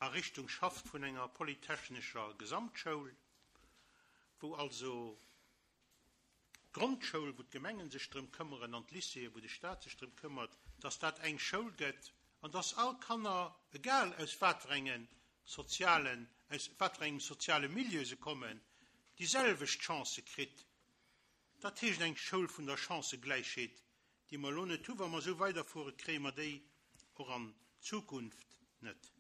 a Richtung schafft vun enger polytechnescher Gesamtschoul, wou also d'Grondschoul, wou d'Gemengen sech drëm këmmeren, an d'Lycéeë, wou de Staat sech drëm këmmert, dass dat eng Schoul gëtt an dass all Kanner, egal aus wat fir engen sozialen, aus wat fir engem soziale Milieu se kommen, déi selwecht Chancë kritt. Dat heescht eng Schoul vun der Chancëgläichheet, déi mer elo net hunn. Wa mer esou weiderfuere, kréie mer déi och an Zukunft net.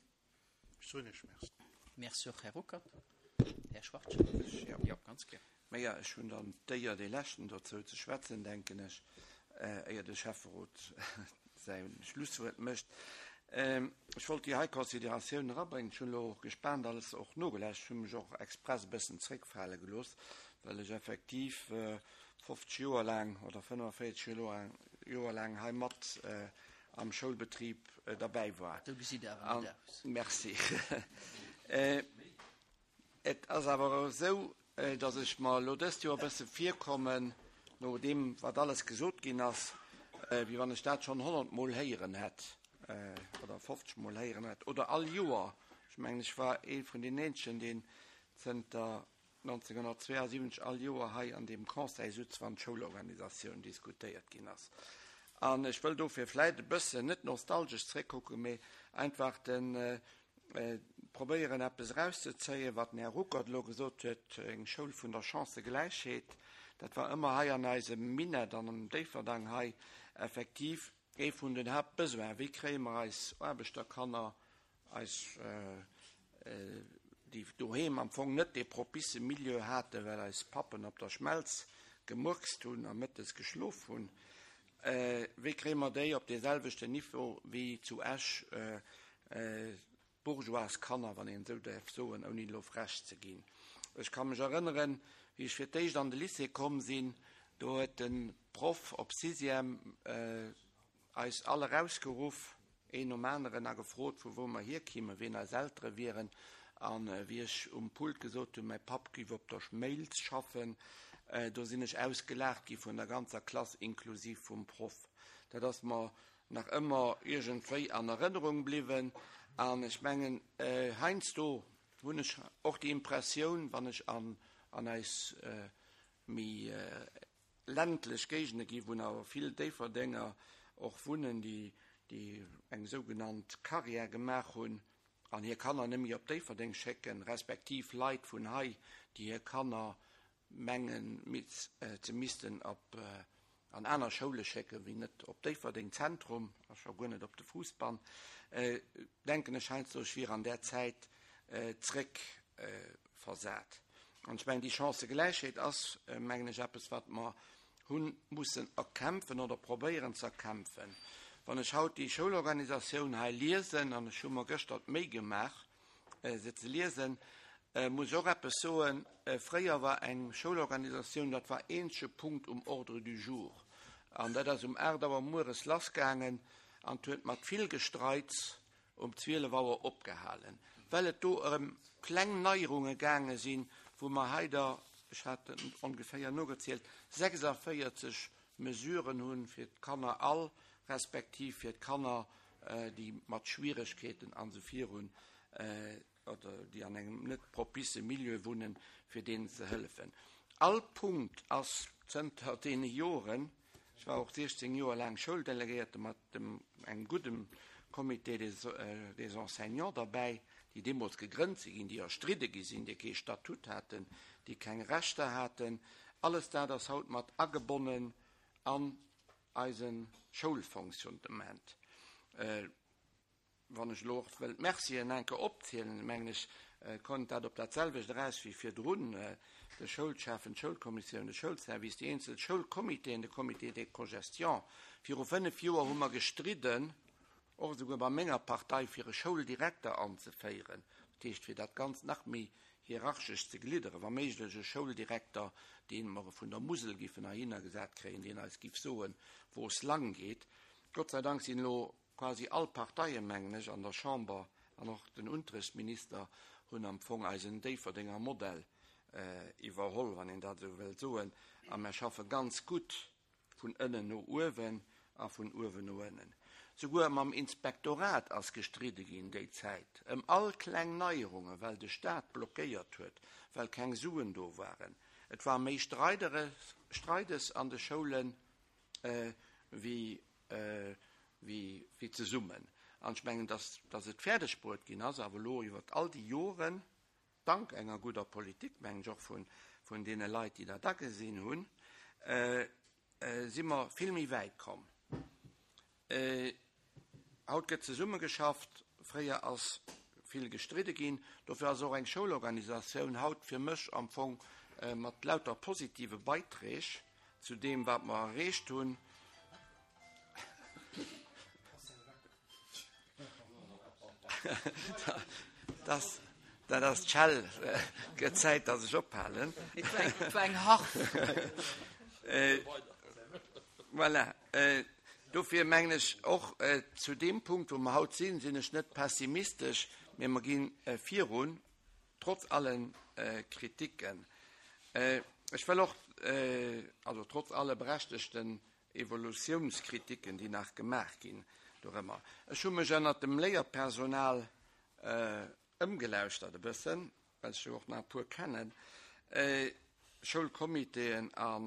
Ech soen Iech Merci. Merci och, Här Ruckert. Här Schwarz. Ja. Jo, ganz gär. Mä ja, ech hunn dann d'Éier, dee Leschten dozou ze schwätzen, denken ech, éier de Schäfferot säi Schlusswuert mécht. Ech wollt déi hei Consideratioun erabréngen. Ech hunn elo och gespaant alles och nogelauscht. Ech hu mech och express e bëssen zréckfale gelooss, well ech effektiv fofzeg Joer laang oder fënnefenvéierzeg Joer laang hei mat am Schoulbetrib derbäi war. Do gesitt Der awer net aus. Merci. Et ass awer esou, datt ech mer elo dëst Joer e bësse virkommen, no deem, wat alles gesot ginn ass, wéi wann ech dat schonn honnert Mol héieren hätt oder fofzeg Mol héieren hätt oder all Joer. Ech mengen, ech war ee vun den eenzegen, deen zënter nonzénghonnertzweeasiwwenzeg all Joer hei an deem Conseil sutz, wann d'Schoulorganisatioun diskutéiert ginn ass. An ech wëll dofir vläit e bëssen net nostalgesch zréckkucken, mee einfach de probéieren eppes erauszezéien, wat den Här Ruckert elo gesot huet, eng Schoul vun der Chancëgläichheet. Dat war ëmmer hei an eisem Minett an am Déifferdang hei effektiv ee vun den Haaptbesoinen. Wéi kréie mer eis Aarbechterkanner, eis déi doheem am Fong net dee propice Milieu haten, well eis Pappen op der Schmelz gemurkst hunn a mëttes geschlof hunn, wéi kréie mer déi op dee selwechten Niveau wéi zu Esch d'Bourgeoiskanner, wann een esou däerf soen, ouni elo frech ze ginn. Ech ka mech erënneren, wéi ech fir d'éischt an de Lycée komm sinn, do huet de Proff op Sixième eis all erausgeruff, een nom aneren, a gefrot, vu wou mer hierkimmen, wien eis Eltere wieren. An wéi ech um Pult gesot hunn, mäi Papp giff op der Schmelz schaffen, do sinn ech ausgelaacht gi vun der ganzer Klass, inklusiv vum Proff. Dat ass mer nach ëmmer iergendwéi an Erënnerung bliwwen. An ech mengen, heiansdo hunn ech och déi Impressioun, wann ech an an eis méi ländlech Géigende gi, wou awer vill Déifferdenger och wunnen, déi déi eng sougenannt Carrière gemaach hunn an hir Kanner net méi op Déifferdeng schécken, respektiv Leit vun hei, déi hir Kanner mengen ze missten op an aner Schoule schécken, wéi net op Déifferdeng Zentrum a scho guer net op de Fousbann, denken ech heiansdo, ech wier an där Zäit zréck versat. An ech mengen, déi Chancëgläichheet ass, mengen ech, eppes, wat mer hu mussen erkämpfen oder probéieren ze erkämpfen. Wann ech haut déi Schoulorganisatioun hei liesen, an ech hu mer gëschter d'Méi gemaach, se ze liesen, muss ech och eppes soen, Fréier war eng Schoulorganisatioun, dat war eenzege Punkt um Ordre du jour. An dat ass um aacht Auer mueres lassgaangen an huet mat vill Gestreits um zwielef Auer opgehalen, well et do ëm kleng Neierunge gaange sinn, wou mer hei der, ech hat ongeféier nogezielt, sechsavéierzeg Mesuren hunn fir d'Kanner all, respektiv fir d'Kanner, déi mat Schwieregkeeten an esou virun oder déi an engem net propice Milieu wunnen, fir deenen ze hëllefen. All Punkt ass zënter deene Joren, ech war och siechzéng Joer laang Schouldelegéierte mat dem engem gudde Comité des, äh, des Enseignants derbäi, déi deemools gegrënnt si ginn, déi erstridde gi sinn, déi kee Statut haten, déi keng Rechter haten. Alles dat ass haut mat agebonnen an eise Schoulfonctionnement. Äh, wann ech elo och wëll d'Mercien eng Kéier opzielen, mengen ech, äh, kënnt dat op dat selwecht eraus wéi virdrun, äh, de Schoulschäffen, d'Schoulkommissioun, de Schoulservice, déi eenzel Schoulcomitéen, de Comité de cogestion. Viru fënnef Joer hu mer gestridden, och esouguer bei menger Partei, fir e Schouldirekter anzeféieren, dat heescht fir dat Ganzt nach méi hierarchesch ze glidderen, wa méiglech e Schouldirekter, dee mer vun der Musel giffen heihinner gesat kréien, deen eis giff soen, wou es lang geet. Gott sei Dank sinn elo quasi all Parteien, mengen ech, an der Chamber an och den Unterrichtsminister hunn am Fong eisen Déifferdenger Modell iwwerholl, wann een dat esou wëllt soen, a mer schaffe ganz gutt vun ënnen no uewen a vun uewen no ënnen. Souguer mam Inspektorat ass gestridde ginn déi Zäit ëm all kleng Neierungen, well de Staat blockéiert huet, well keng Suen do waren. Et war méi Streideres, Streides an de Schoulen wéi, wéi, wéi zesummen. An ech mengen, dass, dass et fäerdeg bruet ginn ass, awer elo iwwert all déi Joren, dank enger gudder Politik, mengen ech, och vun, vun deene Leit, déi dat agesinn hunn, si mer vill méi wäit komm. Haut gëtt zesummegeschafft, fréier ass vill gestridde ginn. Dofir ass och eng Schoulorganisatioun haut fir mech am Fong mat lauter positive Beiträg zu deem, wat mer erreecht hunn. Das, dat ass d'Schell. Gëtt Zäit, dass ech ophalen. Et war eng Harf. Voilà. Dofir mengen ech och, zu deem Punkt, wou mer haut sinn, sinn ech net pessimistesch, mee mer gi virun, trotz alle Kritiken. Ech wëll och, also trotz alle berechtegten Evolutiounskritiken, déi nach gemaach ginn dorëmmer. Ech hu mech ënnert dem Léierpersonal ëmgelauschtert e bëssen, well ech jo och nach e puer kennen, Schoulcomitéen a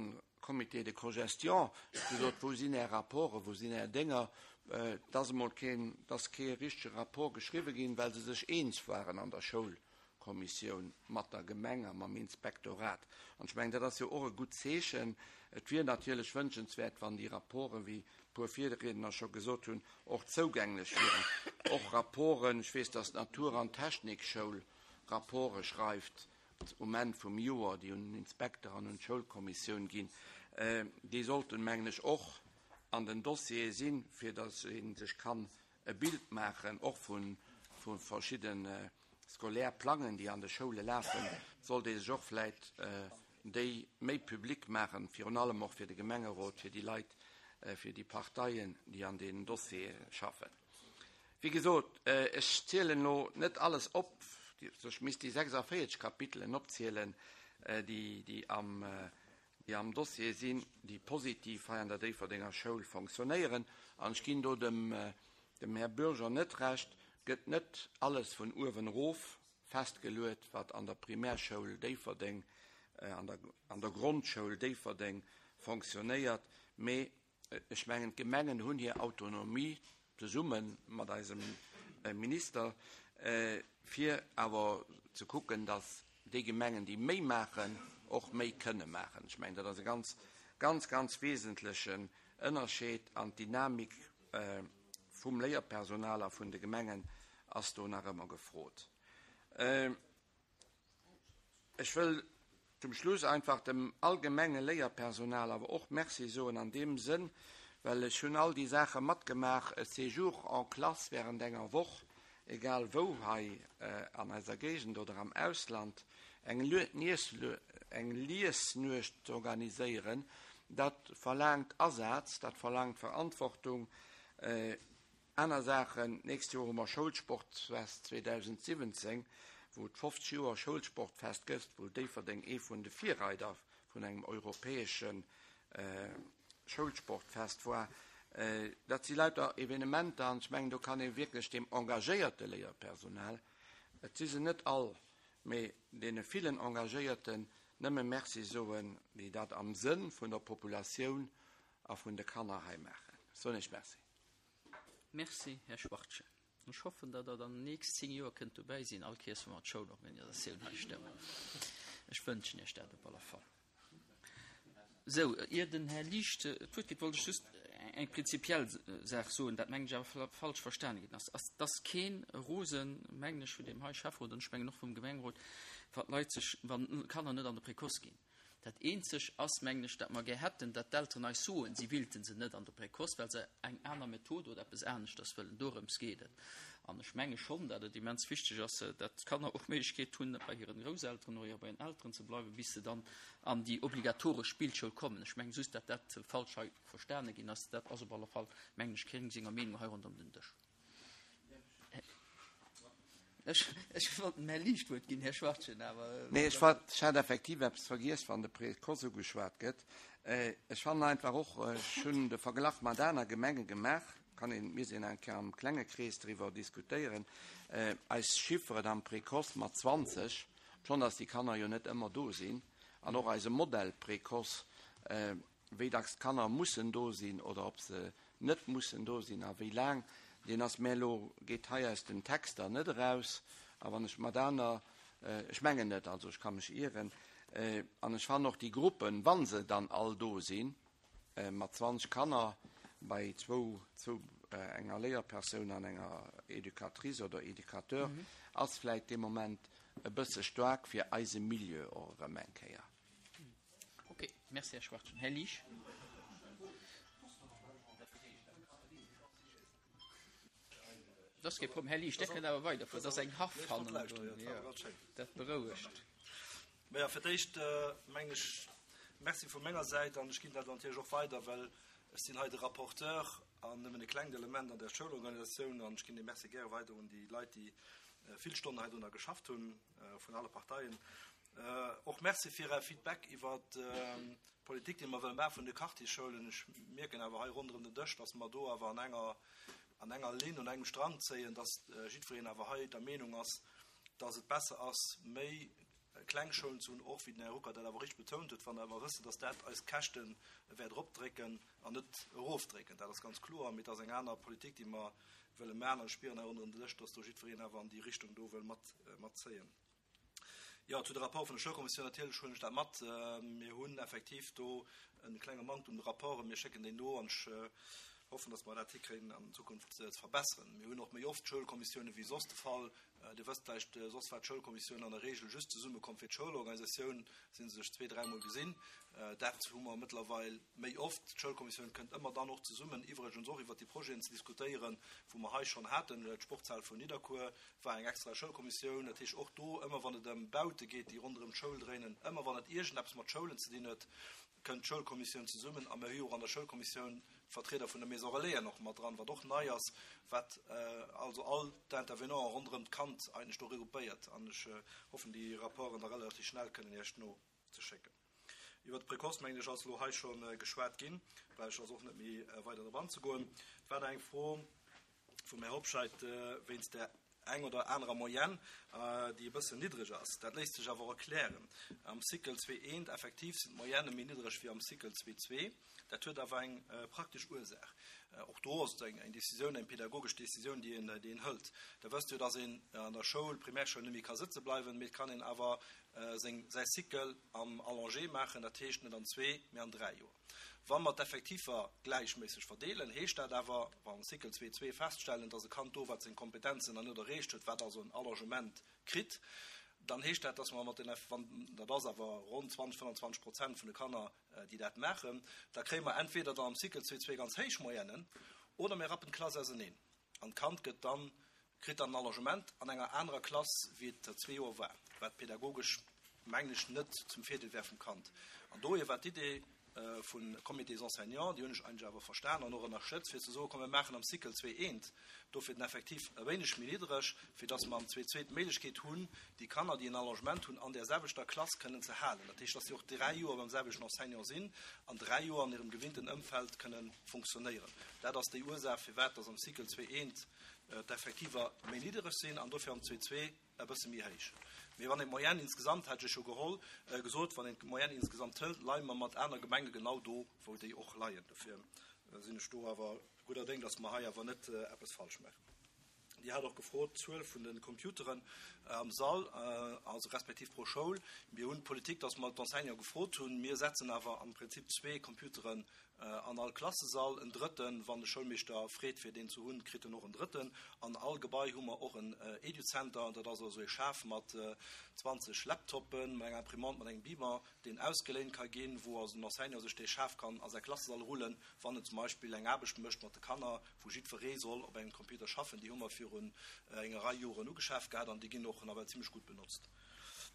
Comités de cogestion. Ech hu gesot, Wou sinn Är Rapporten, wou sinn Är Dénger? Et ass emol keen, et ass kee richtege Rapport geschriwwe ginn, well se sech eens waren an der Schoul. Kommissioun mat der Gemeng a mam Inspektorat. An ech mengen, dat ass jo och e gutt Zeechen. Et wier natierlech wënschenswäert, wann déi Rapporten, wéi e puer Virriedner scho gesot hunn, och zougänglech wieren. Och Rapporten, ech weess, dass d'Natur an Technikschoul Rapporte schreift um Enn vum Joer, déi un den Inspekter an un d'Schoulkommissioun ginn, déi sollten, mengen ech, och an den Dossiere sinn, fir dass ee sech kann e Bild maachen, och vu verschidde scolaire Plangen, déi an de Schoule lafen, sollt ee sech och vläit déi méi public maachen, virun allem och fir de Gemengerot, fir déi Leit, fir déi Parteien, déi an deenen Dossiere schaffen. Wéi gesot, ech zielen elo net alles op, ech misst déi sechsundvierzig Kapitelen opzielen, déi, déi am, déi am Dossier sinn, déi positiv hei an der Déifferdenger Schoul fonctionnéieren. An ech ginn do dem, dem Här Bürger net Recht, gëtt net alles vun uewen erof festgeluet, wat an der Primärschoul Déifferdeng, an der, an der Grondschoul Déifferdeng fonctionnéiert, mee ech mengen, d'Gemengen hunn hir Autonomie zesumme mat eisem Minister, fir awer ze kucken, datt déi Gemengen, déi méi maachen, och méi kënne maachen. Ech mengen, dat ass e ganz, ganz, ganz wesentlechen Ënnerscheed an d'Dynamik vum Léierpersonal a vun de Gemengen ass do nach ëmmer gefrot. Ech wëll zum Schluss einfach dem allgemenge Léierpersonal awer och Merci soen an deem Sënn, well ech hunn all déi Saache matgemaach, e Séjour en classe während enger Woch, egal wou hei an eiser Géigend oder am Ausland, eng Liesnuecht ze organiséieren, dat verlaangt Asaz, dat verlaangt Verantwortung. Aner Saachen, d'nächst Joer hu mer Schoulsportfest zweedausendsiwwenzéng, wou et fofzeg Joer Schoulsportfest gëtt, wou Déifferdeng ee vun de Virreider vun engem europäesche Schoulsportfest war. Dat si lauter Evenementer an ech mengen, do kann ee wierklech deem engagéierte Léierpersonal, et si se net all, mee deene villen Engagéierten nëmme Merci soen, déi dat am Sënn vun der Populatioun a vun de Kanner hei maachen. Soen ech Merci. Merci, Här Schwartje. Ech hoffen, datt Der dann nächst zéng Joer kënnt dobäi sinn, all Kéiers, wa mer d'Schoulorganisatioun hei stëmmen. Ech wënschen Iech dat op alle Fall. Sou, ier den Här Liesch d'Wuert kritt, wollt ech just eng prinzipiell Saach soen, dat mengen ech awer falsch verstane ginn ass. Ass, dass keen Rosen, mengen ech, vun deem hei Schäfferot an ech mengen och vum Gemengerot, wann d'Leit sech, wann d'Kanner net an de Précoce ginn. Dat eenzeg ass, mengen ech, dat mer gär hätten, dat d'Elteren eis soen, si willte se net an de Précoce, well se eng aner Method oder eppes aneschters wëllen. Dorëms geet et. An ech menge schonn, dat et immens wichteg ass, dat d'Kanner och d'Méiglechkeet hunn, bei hiren Grousselteren oder bei hiren Elteren ze bleiwen, bis se dann an déi obligatoresch Spillschoul kommen. Ech menge just, dat dat falsch hei verstane ginn ass. Dat ass op alle Fall, mengen ech, keng senger Meenung hei ronderëm den Dësch. Ech, ech wollt dem Här Liesch d'Wuert ginn, Här Schwartjen, awer. Nee, ech war, ech hat effektiv eppes vergiess, wann de Précoce ugeschwat gëtt. Ech fannen einfach och, ech hunn de Verglach mat aner Gemenge gemaach, kann een, mir sinn eng Kéier am klenge Krees driwwer diskutéieren, eis Chifferen am Précoce mat zwanzeg, schonn datt déi Kanner jo net ëmmer do sinn, an och eise Modell Précoce, wéi dacks d'Kanner mussen do sinn oder ob se net mussen do sinn a wéi laang, deen ass mär elo, geet hei aus den Texter net eraus. A wann ech mat aner, ech mengen net, also ech ka mech ieren, an ech fannen och déi Gruppen, wa se dann all do sinn, mat zwanzeg Kanner bei zwou, zwou, enger Léierpersoun an enger Educatrice oder Educateur, ass vläicht dee Moment e bësse staark fir eise Milieu och erëm eng Kéier. Ok, merci Här Schwartjen. Här Liesch. Dat ass kee Problem. Här Liesch, Dir kënnt awer weiderfueren. Dat ass eng Haff hannendrun. Jo, dat berouegt. Maja, fir d'éischt mengen ech, Merci vu menger Säit an ech ginn dat natierlech och weider, well ech sinn hei de Rapporteur an nëmmen e klengt Element an där Schoulorganisatioun an ech ginn dee Merci gäre weider un déi Leit, déi vill Stonnen heidrunner geschafft hunn, vun alle Parteien. Och Merci fir Är Feedback iwwert d'Politik, déi mer wëlle maache vun de Quartiersschoulen. Ech mierken awer hei ronderëm den Dësch, dass mer do awer an enger, an enger Linn, un engem Strang zéien, dass jiddwereen awer hei der Meenung ass, dass et besser ass, méi kleng Schoulen ze hunn, och wéi den Här Ruckert dat awer richteg betount huet, wa mer awer wëssen, dass dat eis Käschte wäert eropdrécken an net erofdrécken. Dat ass ganz kloer, mee et ass eng aner Politik, déi mer wëlle maachen. An ech spieren hei ronderëm den Dësch, dass do jiddwereen awer an déi Richtung do wëll mat, matzéien. Jo, zu de Rapport vun der Schoulkommissioun, natierlech huelen ech dat mat. Mir hunn effektiv do e klenge Manktum un de Rapporten. Mir schécken déi no an ech hoffen, dass mer dat hikréien an Zukunft ze verbesseren. Mir hunn och méi oft Schoulkommissiounen wéi soss de Fall. Dir wësst vläicht, soss war d'Schoulkommissioun an der Regel just zesummekomm fir d'Schoulorganisatioun, si se sech zwee, dräimol gesinn. Dat hu mer mëttlerweil méi oft. D'Schoulkommissioun kënnt ëmmer dann och zesummen, iwwregens och iwwert déi Projeten ze diskutéieren, wou mer hei schonn haten. D'Sportshal vun Nidderkuer war eng extra Schoulkommissioun. Dat heescht, och do, ëmmer wann et ëm Baute geet, déi ronderëm d'Schoul dréinen, ëmmer wann et iergendeppes mat Schoulen ze dinn huet, kënnt d'Schoulkommissioun zesummen. A mir hu jo och an der Schoulkommissioun d'Vertrieder vun der Maison Relaisen och mat dran, wat och nei ass, wat also all d'Intervenanten ronderëm d'Kand eigentlech do regroupéiert. An ech hoffen, déi Rapporten da relativ schnell kënnen Iech nozeschécken. Iwwert de Précoce, mengen ech, ass elo hei scho geschwat ginn, brauch ech also och net méi weider drop anzegoen. Et war nach eng Fro vum Här Hobscheit wéinst der eng oder anerer Moyenne, déi e bëssen niddreg ass. Dat léisst sech awer och erklären. Am Cycle zwee eent effektiv sinn d'Moyenne méi niddreg wéi am Cycle zwee zwee. Dat huet awer eng praktesch Ursaach. Och do ass et eng Décisioun, eng pädagogesch Décisioun, déi een, déi een hëlt. Der wësst jo, dass een an der Schoul, Primärschoul, net méi ka sëtze bleiwen, mee et kann een awer seng, säi Cycle am Allongé maachen, dat heescht net an zwee, mee an dräi Joer. Wa mer d'Effektiver gläichméisseg verdeelen, heescht dat awer, wa mer am Cycle zwee zwee feststellen, dass e Kand do, wat seng Kompetenzen nach net erreecht huet, wat also en Allongement kritt, dann heescht dat, dass mer mat den, wann, dat ass awer ronn zwanzeg, fënnanzwanzeg Prozent vun de Kanner, déi dat maachen, da kréie mer entweder dann am Cycle zwee zwee ganz héich Moyennen oder mir rappen d'Klass auseneen an d'Kand gëtt dann, kritt dann en Allongement an enger anerer Klass, wéi et zwee Joer war, wat pädagogesch, mengen ech, net zum Virdeel wär vum Kand. An dohier war d'Idee vum Comité des enseignants, déi hunn ech eigentlech awer verstan an och ënnerstëtzt, fir ze soen, komm mir maachen am Cycle zwee eent, dofir den Effektiv e wéineg méi niddreg, fir dass mer am zwee zwee d'Méiglechkeet hunn, déi Kanner, déi en Allongement hunn, an där selwechter Klass kënnen ze halen. Dat heescht, dass si och dräi Joer beim selwechten Enseignant sinn an dräi Joer an hirem gewinnten Ëmfeld kënnen funktionéieren. Dat ass déi Ursaach, firwat dass am Cycle zwee eent d'Effektiver méi niddreg sinn an dofir am zwee zwee e bësse méi héich. Mee wann een d'Moyenne insgesamt, hat ech jo geholl, gesot, wann een d'Moyenne insgesamt hëlt, leie mer mat aner Gemenge genau do, wou déi och leien. Dofir sinn ech do awer gudder Déng, dass mer hei awer net eppes falsch maachen. Dir hat och gefrot, d'Zuel vun de Computeren am Sall, also respektiv pro Schoul. Mir hunn d'Politik, dass mer d'Enseignante gefrot hunn. Mir setzen awer am Prinzip zwee Computeren an all Klassesall, en drëtten, wann de Schoulmeeschter freet fir deen ze hunn, kritt en och en drëtten. An all Gebai hu mer och en Educenter, dat ass also e Schaf mat zwanzeg Laptoppen, mat enger Imprimante, mat engem Beamer, deen ausgeléint ka ginn, wou also den Enseignant sech dee Schaf kann a säi Klassesall rullen, wann en zum Beispill eng Aarbecht mécht mat de Kanner, wou jiddweree soll op engem Computer schaffen. Déi hu mer virun enger Rei Joren ugeschaf gehat an déi ginn och nawell zimlech gutt benotzt.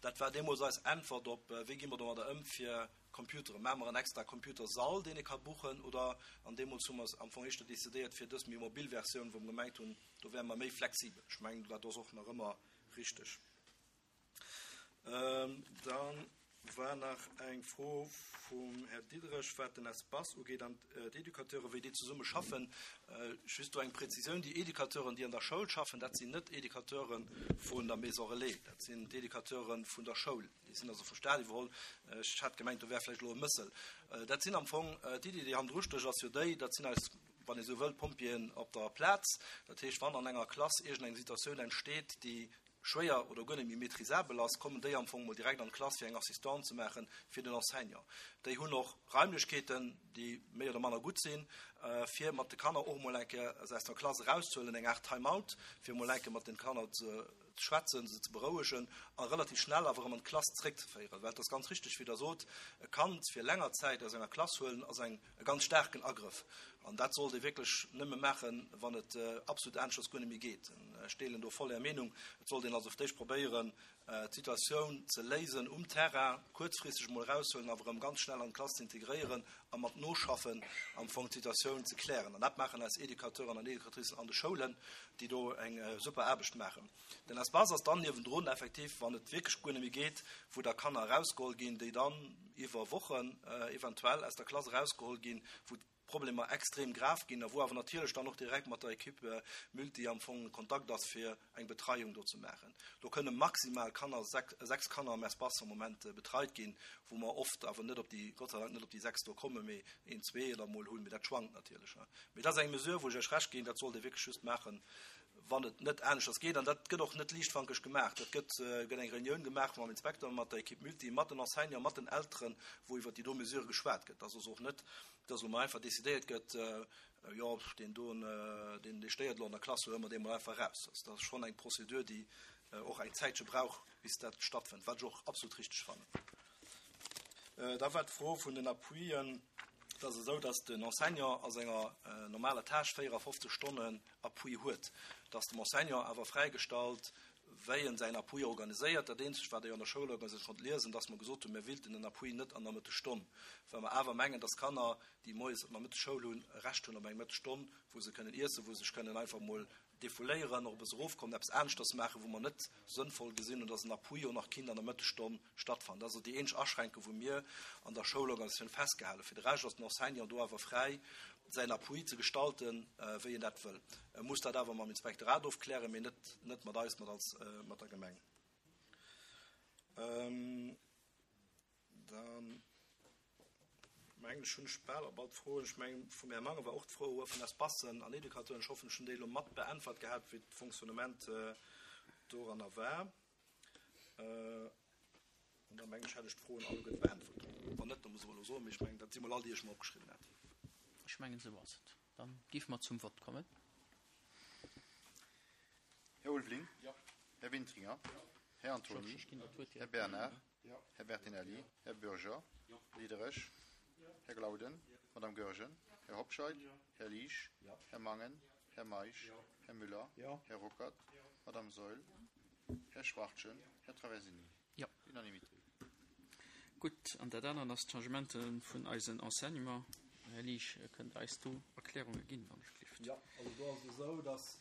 Dat war deemools eis Äntwert op, Wéi gi mer domadder ëm fir Computeren? Maache mer en extra Computersall, deen ee ka buchen, oder? An deemools hu mer am Fong éischter decidéiert fir dës méi mobil Versioun, wou mer gemengt hunn, do wäre mer méi flexibel. Ech mengen, dat ass och nach ëmmer richteg. Da war nach eng Fro vum Här Diderich, wat den Espace ugeet an d'Educateuren, wéi déi zesumme schaffen. Just do eng Präzisioun, Déi Educateuren, déi an der Schoul schaffen, dat sinn net Educateure vun der Maison Relais, dat sinn d'Educateure vun der Schoul. Déi sinn also vum Staat iwwerholl. Ech hat gemengt, do wär vläicht elo e Mëssel. Dat sinn am Fong, d'Iddi, déi hannendru stécht, ass jo déi, dat sinn eis, wann ee sou wëll, Pompjeeën op der Plaz. Dat heescht, wann an enger Klass iergendeng Situatioun entsteet, déi schwéier oder guer net méi maîtrisabel ass, kommen déi am Fong mol direkt an d'Klass, fir eng Assistance ze maache fir den Enseignant. Déi hunn och Raimlechkeeten, déi méi oder manner gutt sinn, fir mat de Kanner och mol eng Kéier se aus der Klass erauszehuelen, eng Aart Time-out, fir mol eng Kéier mat den Kanner ze schwätzen, se ze berouegen a relativ schnell awer erëm an d'Klass zréckzeféieren. Well et ass ganz richtig, wéi Der sot, e Kand fir länger Zäit aus enger Klass huelen, ass eng, e ganz staarken Agrëff. An dat sollt ee wierklech nëmme maachen, wann et absolut aneschters guer net méi geet. Ech deelen do voll Är Meenung. Et sollt een also fir d'éischt probéieren, d'Situatioun ze léisen um Terrain, kuerzfristeg emol eraushuelen, awer erëm ganz schnell an d'Klass ze integréieren a mat Noschaffen am Fong d'Situatioun ze klären. An dat maachen eis Educateuren an Educatricen an de Schoulen, déi do eng super Aarbecht maachen. Den Espace ass dann niewendrun effektiv, wann et wierklech guer net méi geet, wou da Kanner erausgeholl ginn, déi dann iwwer Wochen eventuell aus der Klass erausgeholl ginn, wou d'Problemer extrem grav ginn a wou awer natierlech dann och direkt mat der Equipe multi am Fong Kontakt ass, fir eng Betreiung do ze maachen. Do kënne maximal Kanner, sechs Kanner am Espace am Moment betreit ginn, wou mer oft awer net op déi, Gott sei Dank net op déi sechs do kommen, mee een, zwee oder mol hunn, mee dat schwankt natierlech. Mee dat ass eng Mesure, wou ech Iech Recht ginn, dat sollt ee wierklech just maachen, wann et net aneschters geet. An dat gëtt och net liichtfankeg gemaach. Dat gëtt, gëtt eng Reunioun gemaach mam Inspekter, mat der Equipe multi, mat den Enseignanten, mat den Elteren, wou iwwer déi do Mesure geschwat gëtt. Dat ass also och net, dass elo mol einfach decidéiert gëtt, jo, deen doen, deen, dee stéiert elo an der Klass, huele mer dee mol einfach eraus. Also dat ass schonn eng Prozedur, déi och eng Zäitche brauch, bis dat stattfënnt, wat ech och absolut richteg fannen. Da war d'Fro vun den Appuien. Et ass esou, dass den Enseignant a senger normaler Tâche véierafofzeg Stonnen Appui huet. Et ass dem Enseignant awer fräigestallt, wéi en säin Appui organiséiert. Dat eenzegt, wat Der jo an der Schoulorganisatioun konnt liesen, dass mer gesot hunn, mir wéilten den Appui net an der Mëttesstonn, well mer awer mengen, dass Kanner, déi moies op Nomëtteg Schoul hunn, e Recht hunn op eng Mëttesstonn, wou se kënnen iessen, wou se sech kënnen einfach emol defouléieren, och e bësse erofkommen, eppes aneschters maachen, wou mer net sënnvoll gesinn hunn, dass en Appui och nach kinnt an der Mëttesstonn stattfannen. Dat ass also déi eenzeg Aschränkung, wou mir an der Schoulorganisatioun festgehalen. Fir de Rescht ass den Enseignant do awer fräi, säin Appui ze gestalten, wéi en dat wëll. E muss dat awer mam Inspektorat ofklären, mee net, net mat eis, mat als, mat der Gemeng. Dann mengen ech, hunn ech bal op all d'Froen. Ech mengen, vum Här Mangen war och d'Fro vun Espacen an Educateuren. Ech hoffen, ech hunn déi elo mat beäntwert gehat, wéi d'Fonctionnement doranner war. An da mengen ech, hätt ech d'Froen alleguerte beäntwert. Wann net, da muss ech elo soen, mee ech mengen, dat si mol all déi ech mer opgeschriwwen hat. Ech mengen, esou ass et. Dann géife mer zum Vott kommen. Här Ulveling. Här Wintringer. Här Antony. Här Bernard. Här Bertinelli. Här Bürger. Diderich. Här Glauden. Madame Goergen. Här Hobscheit. Här Liesch. Här Mangen. Här Meisch. Här Müller. Här Ruckert. Madame Saeul. Här Schwachtgen. Här Traversini. Jo. Unanimité. Gutt, an dat anert ass d'Changementen vun eisen Enseignement. Här Liesch, kënnt Der eis do Erklärunge ginn, wann ech gelift? Jo, also do ass et esou, dass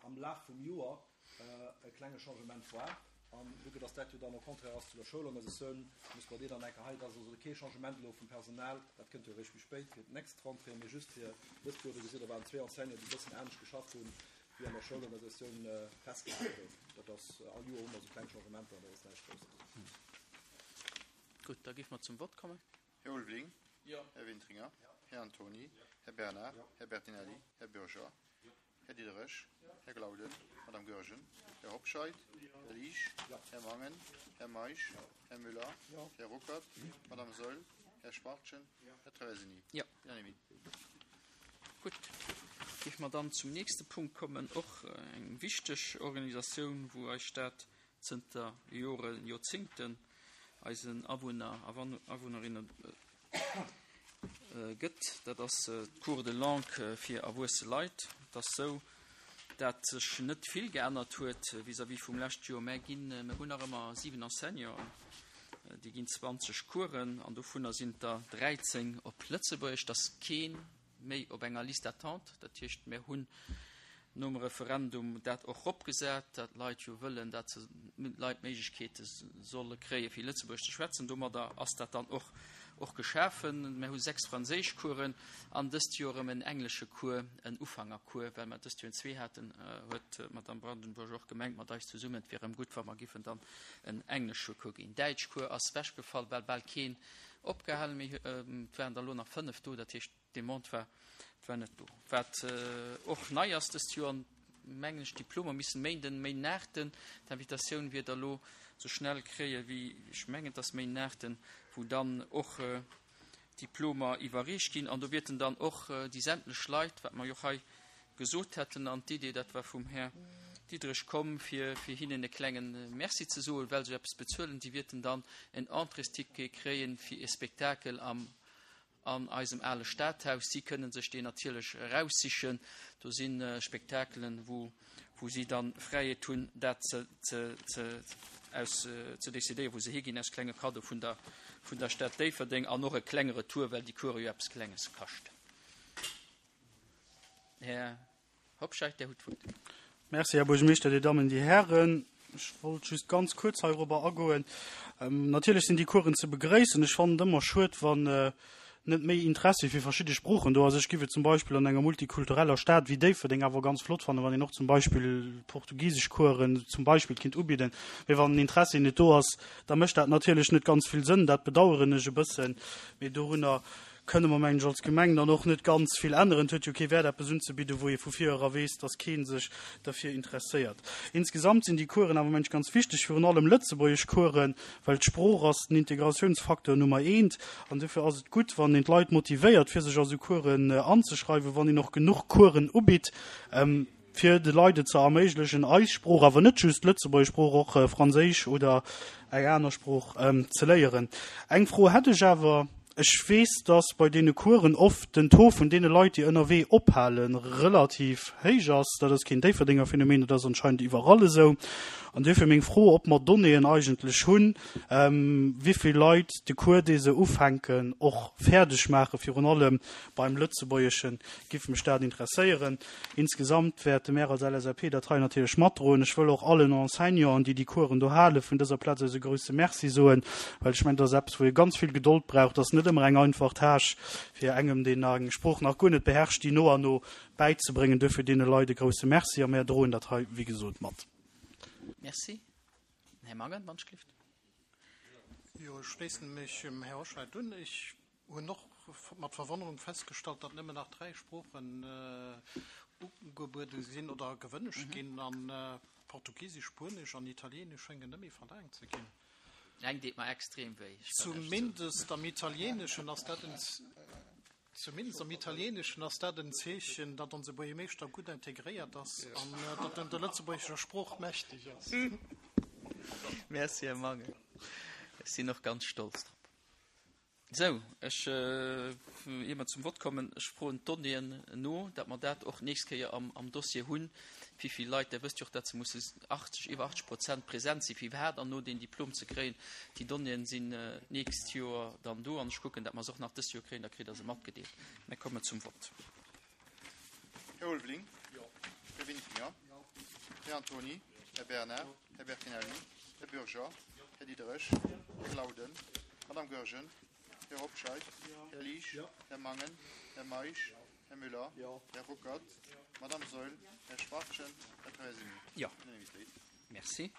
am Laf vum Joer e klenge Changement war. An vue que dass dat jo dann au contraire ass zu der Schoulorganisatioun, muss mer deen dann eng Kéier hei, et ass also kee Changement elo vum Personal, dat kënnt jo eréischt méi spéit fir d'nächst Rentrée, mee just fir dëst Joer, do gesitt Der, waren zwee Enseignanten, déi e bëssen anescht geschafft hunn, wéi an der Schoulorganisatioun festgehale gouf. Dat ass, all Joer hu mer esou kleng Changementer, dat ass näischt Grousses. Gutt, da géife mer zum Vott kommen. Här Ulveling. Här Wintringer. Här Antony. Här Bernard. Här Bertinelli. Här Bürger. Här Diderich. Här Glauden. Madame Goergen. Här Hobscheit. Här Liesch. Här Mangen. Här Meisch. Här Müller. Här Ruckert. Madame Saeul. Här Schwachtgen. Här Traversini. Jo. Unanimité. Gutt, géife mer dann zum nächste Punkt kommen, och eng wichteg Organisatioun, wou eis Stad zënter Joren, Joerzéngten eisen Awunner a Awunnerinne gëtt. Dat ass d'Cours de langue fir erwuesse Leit. Et ass sou, dat sech net vill geännert huet vis-à-vis vum lescht Joer. Mär ginn, mir hunn nach ëmmer siwen Enseignanten, déi ginn zwanzeg Coursen an dovunner sinn der dräizéng op Lëtzebuergesch. Et ass kee méi op enger Liste d'attente. Dat heescht, mir hunn nom Referendum dat och eropgesat, dat d'Leit jo wëllen, dat se d'Leit d'Méiglechkeete solle kréien, fir Lëtzebuergesch ze schwätzen. Domadder ass dat dann och och geschafen. Mir hu sechs Franséischcoursen an dëst Joer erëm en englesche Cours, en Ufangercours, well mer dëst Joer zwee haten, huet d'Madame Brandenburg och gemengt mat eis zesummen, et wier erëm gutt, wa mer giffen dann en englesche Cours ginn. Däitschcours ass wechgefall, well bal keen opgehalen méi, et waren der elo nach fënnef do, dat heescht, d'Demande war war net do. Wat och nei ass dëst Joer, mengen ech, d'Diplomer missen Méinden, Méinden aachten, d'Invitatioun wier der elo sou schnell kréie wéi, ech mengen et ass Méinden aachten, wou dann och d'Diplomer iwwerreecht ginn an do wierten dann och déi sämtlech Leit, wat mer jo och hei gesot hätten, an d'Idee, dat war vum Här Diderich komm, fir fir hinnen e klenge Merci ze soen, well se jo eppes bezuelen, déi wierten dann en Entréesticket kréien fir e Spektakel am an eisem ale Stadhaus. Si kënnen sech deen natierlech eraussichen. Do si Spektakelen, wou, wou si dann Fräiheet hunn, dat ze, ze, ze, aus, ze decidéieren, wou se higinn, als klenge Kaddo vun der, vun der Stad Déifferdeng an och e klenge Retour, well déi Course jo eppes Klenges kascht. Här Hobscheit, Dir hutt d'Wuert. Merci, Här Buergermeeschter, Dir Dammen, Dir Hären. Ech wollt just ganz kuerz heirobber agoen. Natierlech sinn déi Coursen ze begréissen. Ech fannen et ëmmer schued, wann net méi Interessi fir verschidde Sproochen do ass. Ech giff et zum Beispill an enger multikultureller Stad wéi Déifferdeng awer ganz flott fannen, wann een och zum Beispill portugisesch Coursen zum Beispill kinnt ubidden. Mee wann den Interessi net do ass, da mécht dat natierlech net ganz vill Sënn. Dat bedaueren ech e bëssen. Mee dorunner kënne mer, mengen ech, als Gemeng dann och net ganz vill änneren. Et huet jo kee Wäert, eppes unzebidden, wou ee vu vir era weess, dass kee sech derfir interesséiert. Insgesamt sinn déi Coursen awer, mengen ech, ganz wichteg, virun allem Lëtzebuergesch-Coursen, well d'Sprooch ass den Integratiounsfacteur Nummer eent. An dofir ass et gutt, wann een d'Leit motivéiert, fir sech a sou Coursen anzeschreiwen, wann een och genuch Coursen ubitt, fir de Leit et ze erméiglechen, eis Sprooch, awer net just d'Lëtzebuerger Sprooch, och Franséisch oder eng aner Sprooch ze léieren. Eng Fro hätt ech awer, Ech weess, dass bei deene Coursen oft den Taux vun deene Leit, déi ënnerwee ophalen, relativ héich ass. Dat ass keen Déifferdenger Phänomen, dat ass anscheinend iwwerall esou. An duerfir meng Fro, ob mer Donnéeën eigentlech hunn, wéivill Leit de Cours, dee se ufänken, och fäerdeg maachen, virun allem beim Lëtzebuergeschen, giff mech dat interesséieren. Insgesamt wäerte mär als L S A P dat hei natierlech matdroen. Ech wëll och allen Enseignanten, déi déi Coursen do halen, vun dëser Plaz aus e grouse Merci soen, well ech mengen, dat ass eppes, wou ee ganz vill Gedold brauch. Dat ass net ëmmer eng einfach Tâche, fir engem, deen eng Sprooch nach guer net beherrscht, déi no an no bäizebréngen. Duerfir deene Leit e grouse Merci a mär droen dat hei, wéi gesot, mat. Merci. Här Mangen, wann ech gelift. Jo, ech schléissen mech dem Här Hoscheit un. Ech hunn och mat Verwonnerung festgestallt, datt nëmmen nach dräi Sproochen ugebuede sinn oder gewënscht ginn, an Portugiesisch, Spuenesch an Italieenesch schéngen net méi verlaangt ze ginn. Eng deet mer extrem wéi. Zumindest am Italieeneschen ass dat en Zumindest am Italieeneschen ass dat en Zeechen, datt onse Buergermeeschter gutt integréiert ass an datt en der lëtzebuergescher Sprooch mächteg ass. Merci, Här Mangen. Ech sinn och ganz stolz drop. Sou, ech, ier mer zum Vott kommen, ech froen d'Donnéeën no, datt mer dat och d'nächst Kéier am, am Dossier hunn, wéi vill Leit, Der wësst jo och, datt se musse achtzeg, iwwer achtzeg Prozent present sinn, fir iwwerhaapt an no deen Diplom ze kréien. Déi Donnéeën sinn d'nächst Joer dann do an ech kucken, datt mer se och nach dëst Joer kréien, da kritt Der se matgedeelt. Mir kommen zum Vott. Här Ulveling. Här Winfringer. Här Antony. Här Bernard. Här Bertinelli. Här Bürger. Här Diderich. Här Glauden. Madame Goergen. Här Hobscheit. Här Liesch. Här Mangen. Här Meisch. Här Müller. Här Ruckert. Madame Saeul. Här Schwachtgen. Här Traversini. Jo. Unanimitéit. Merci.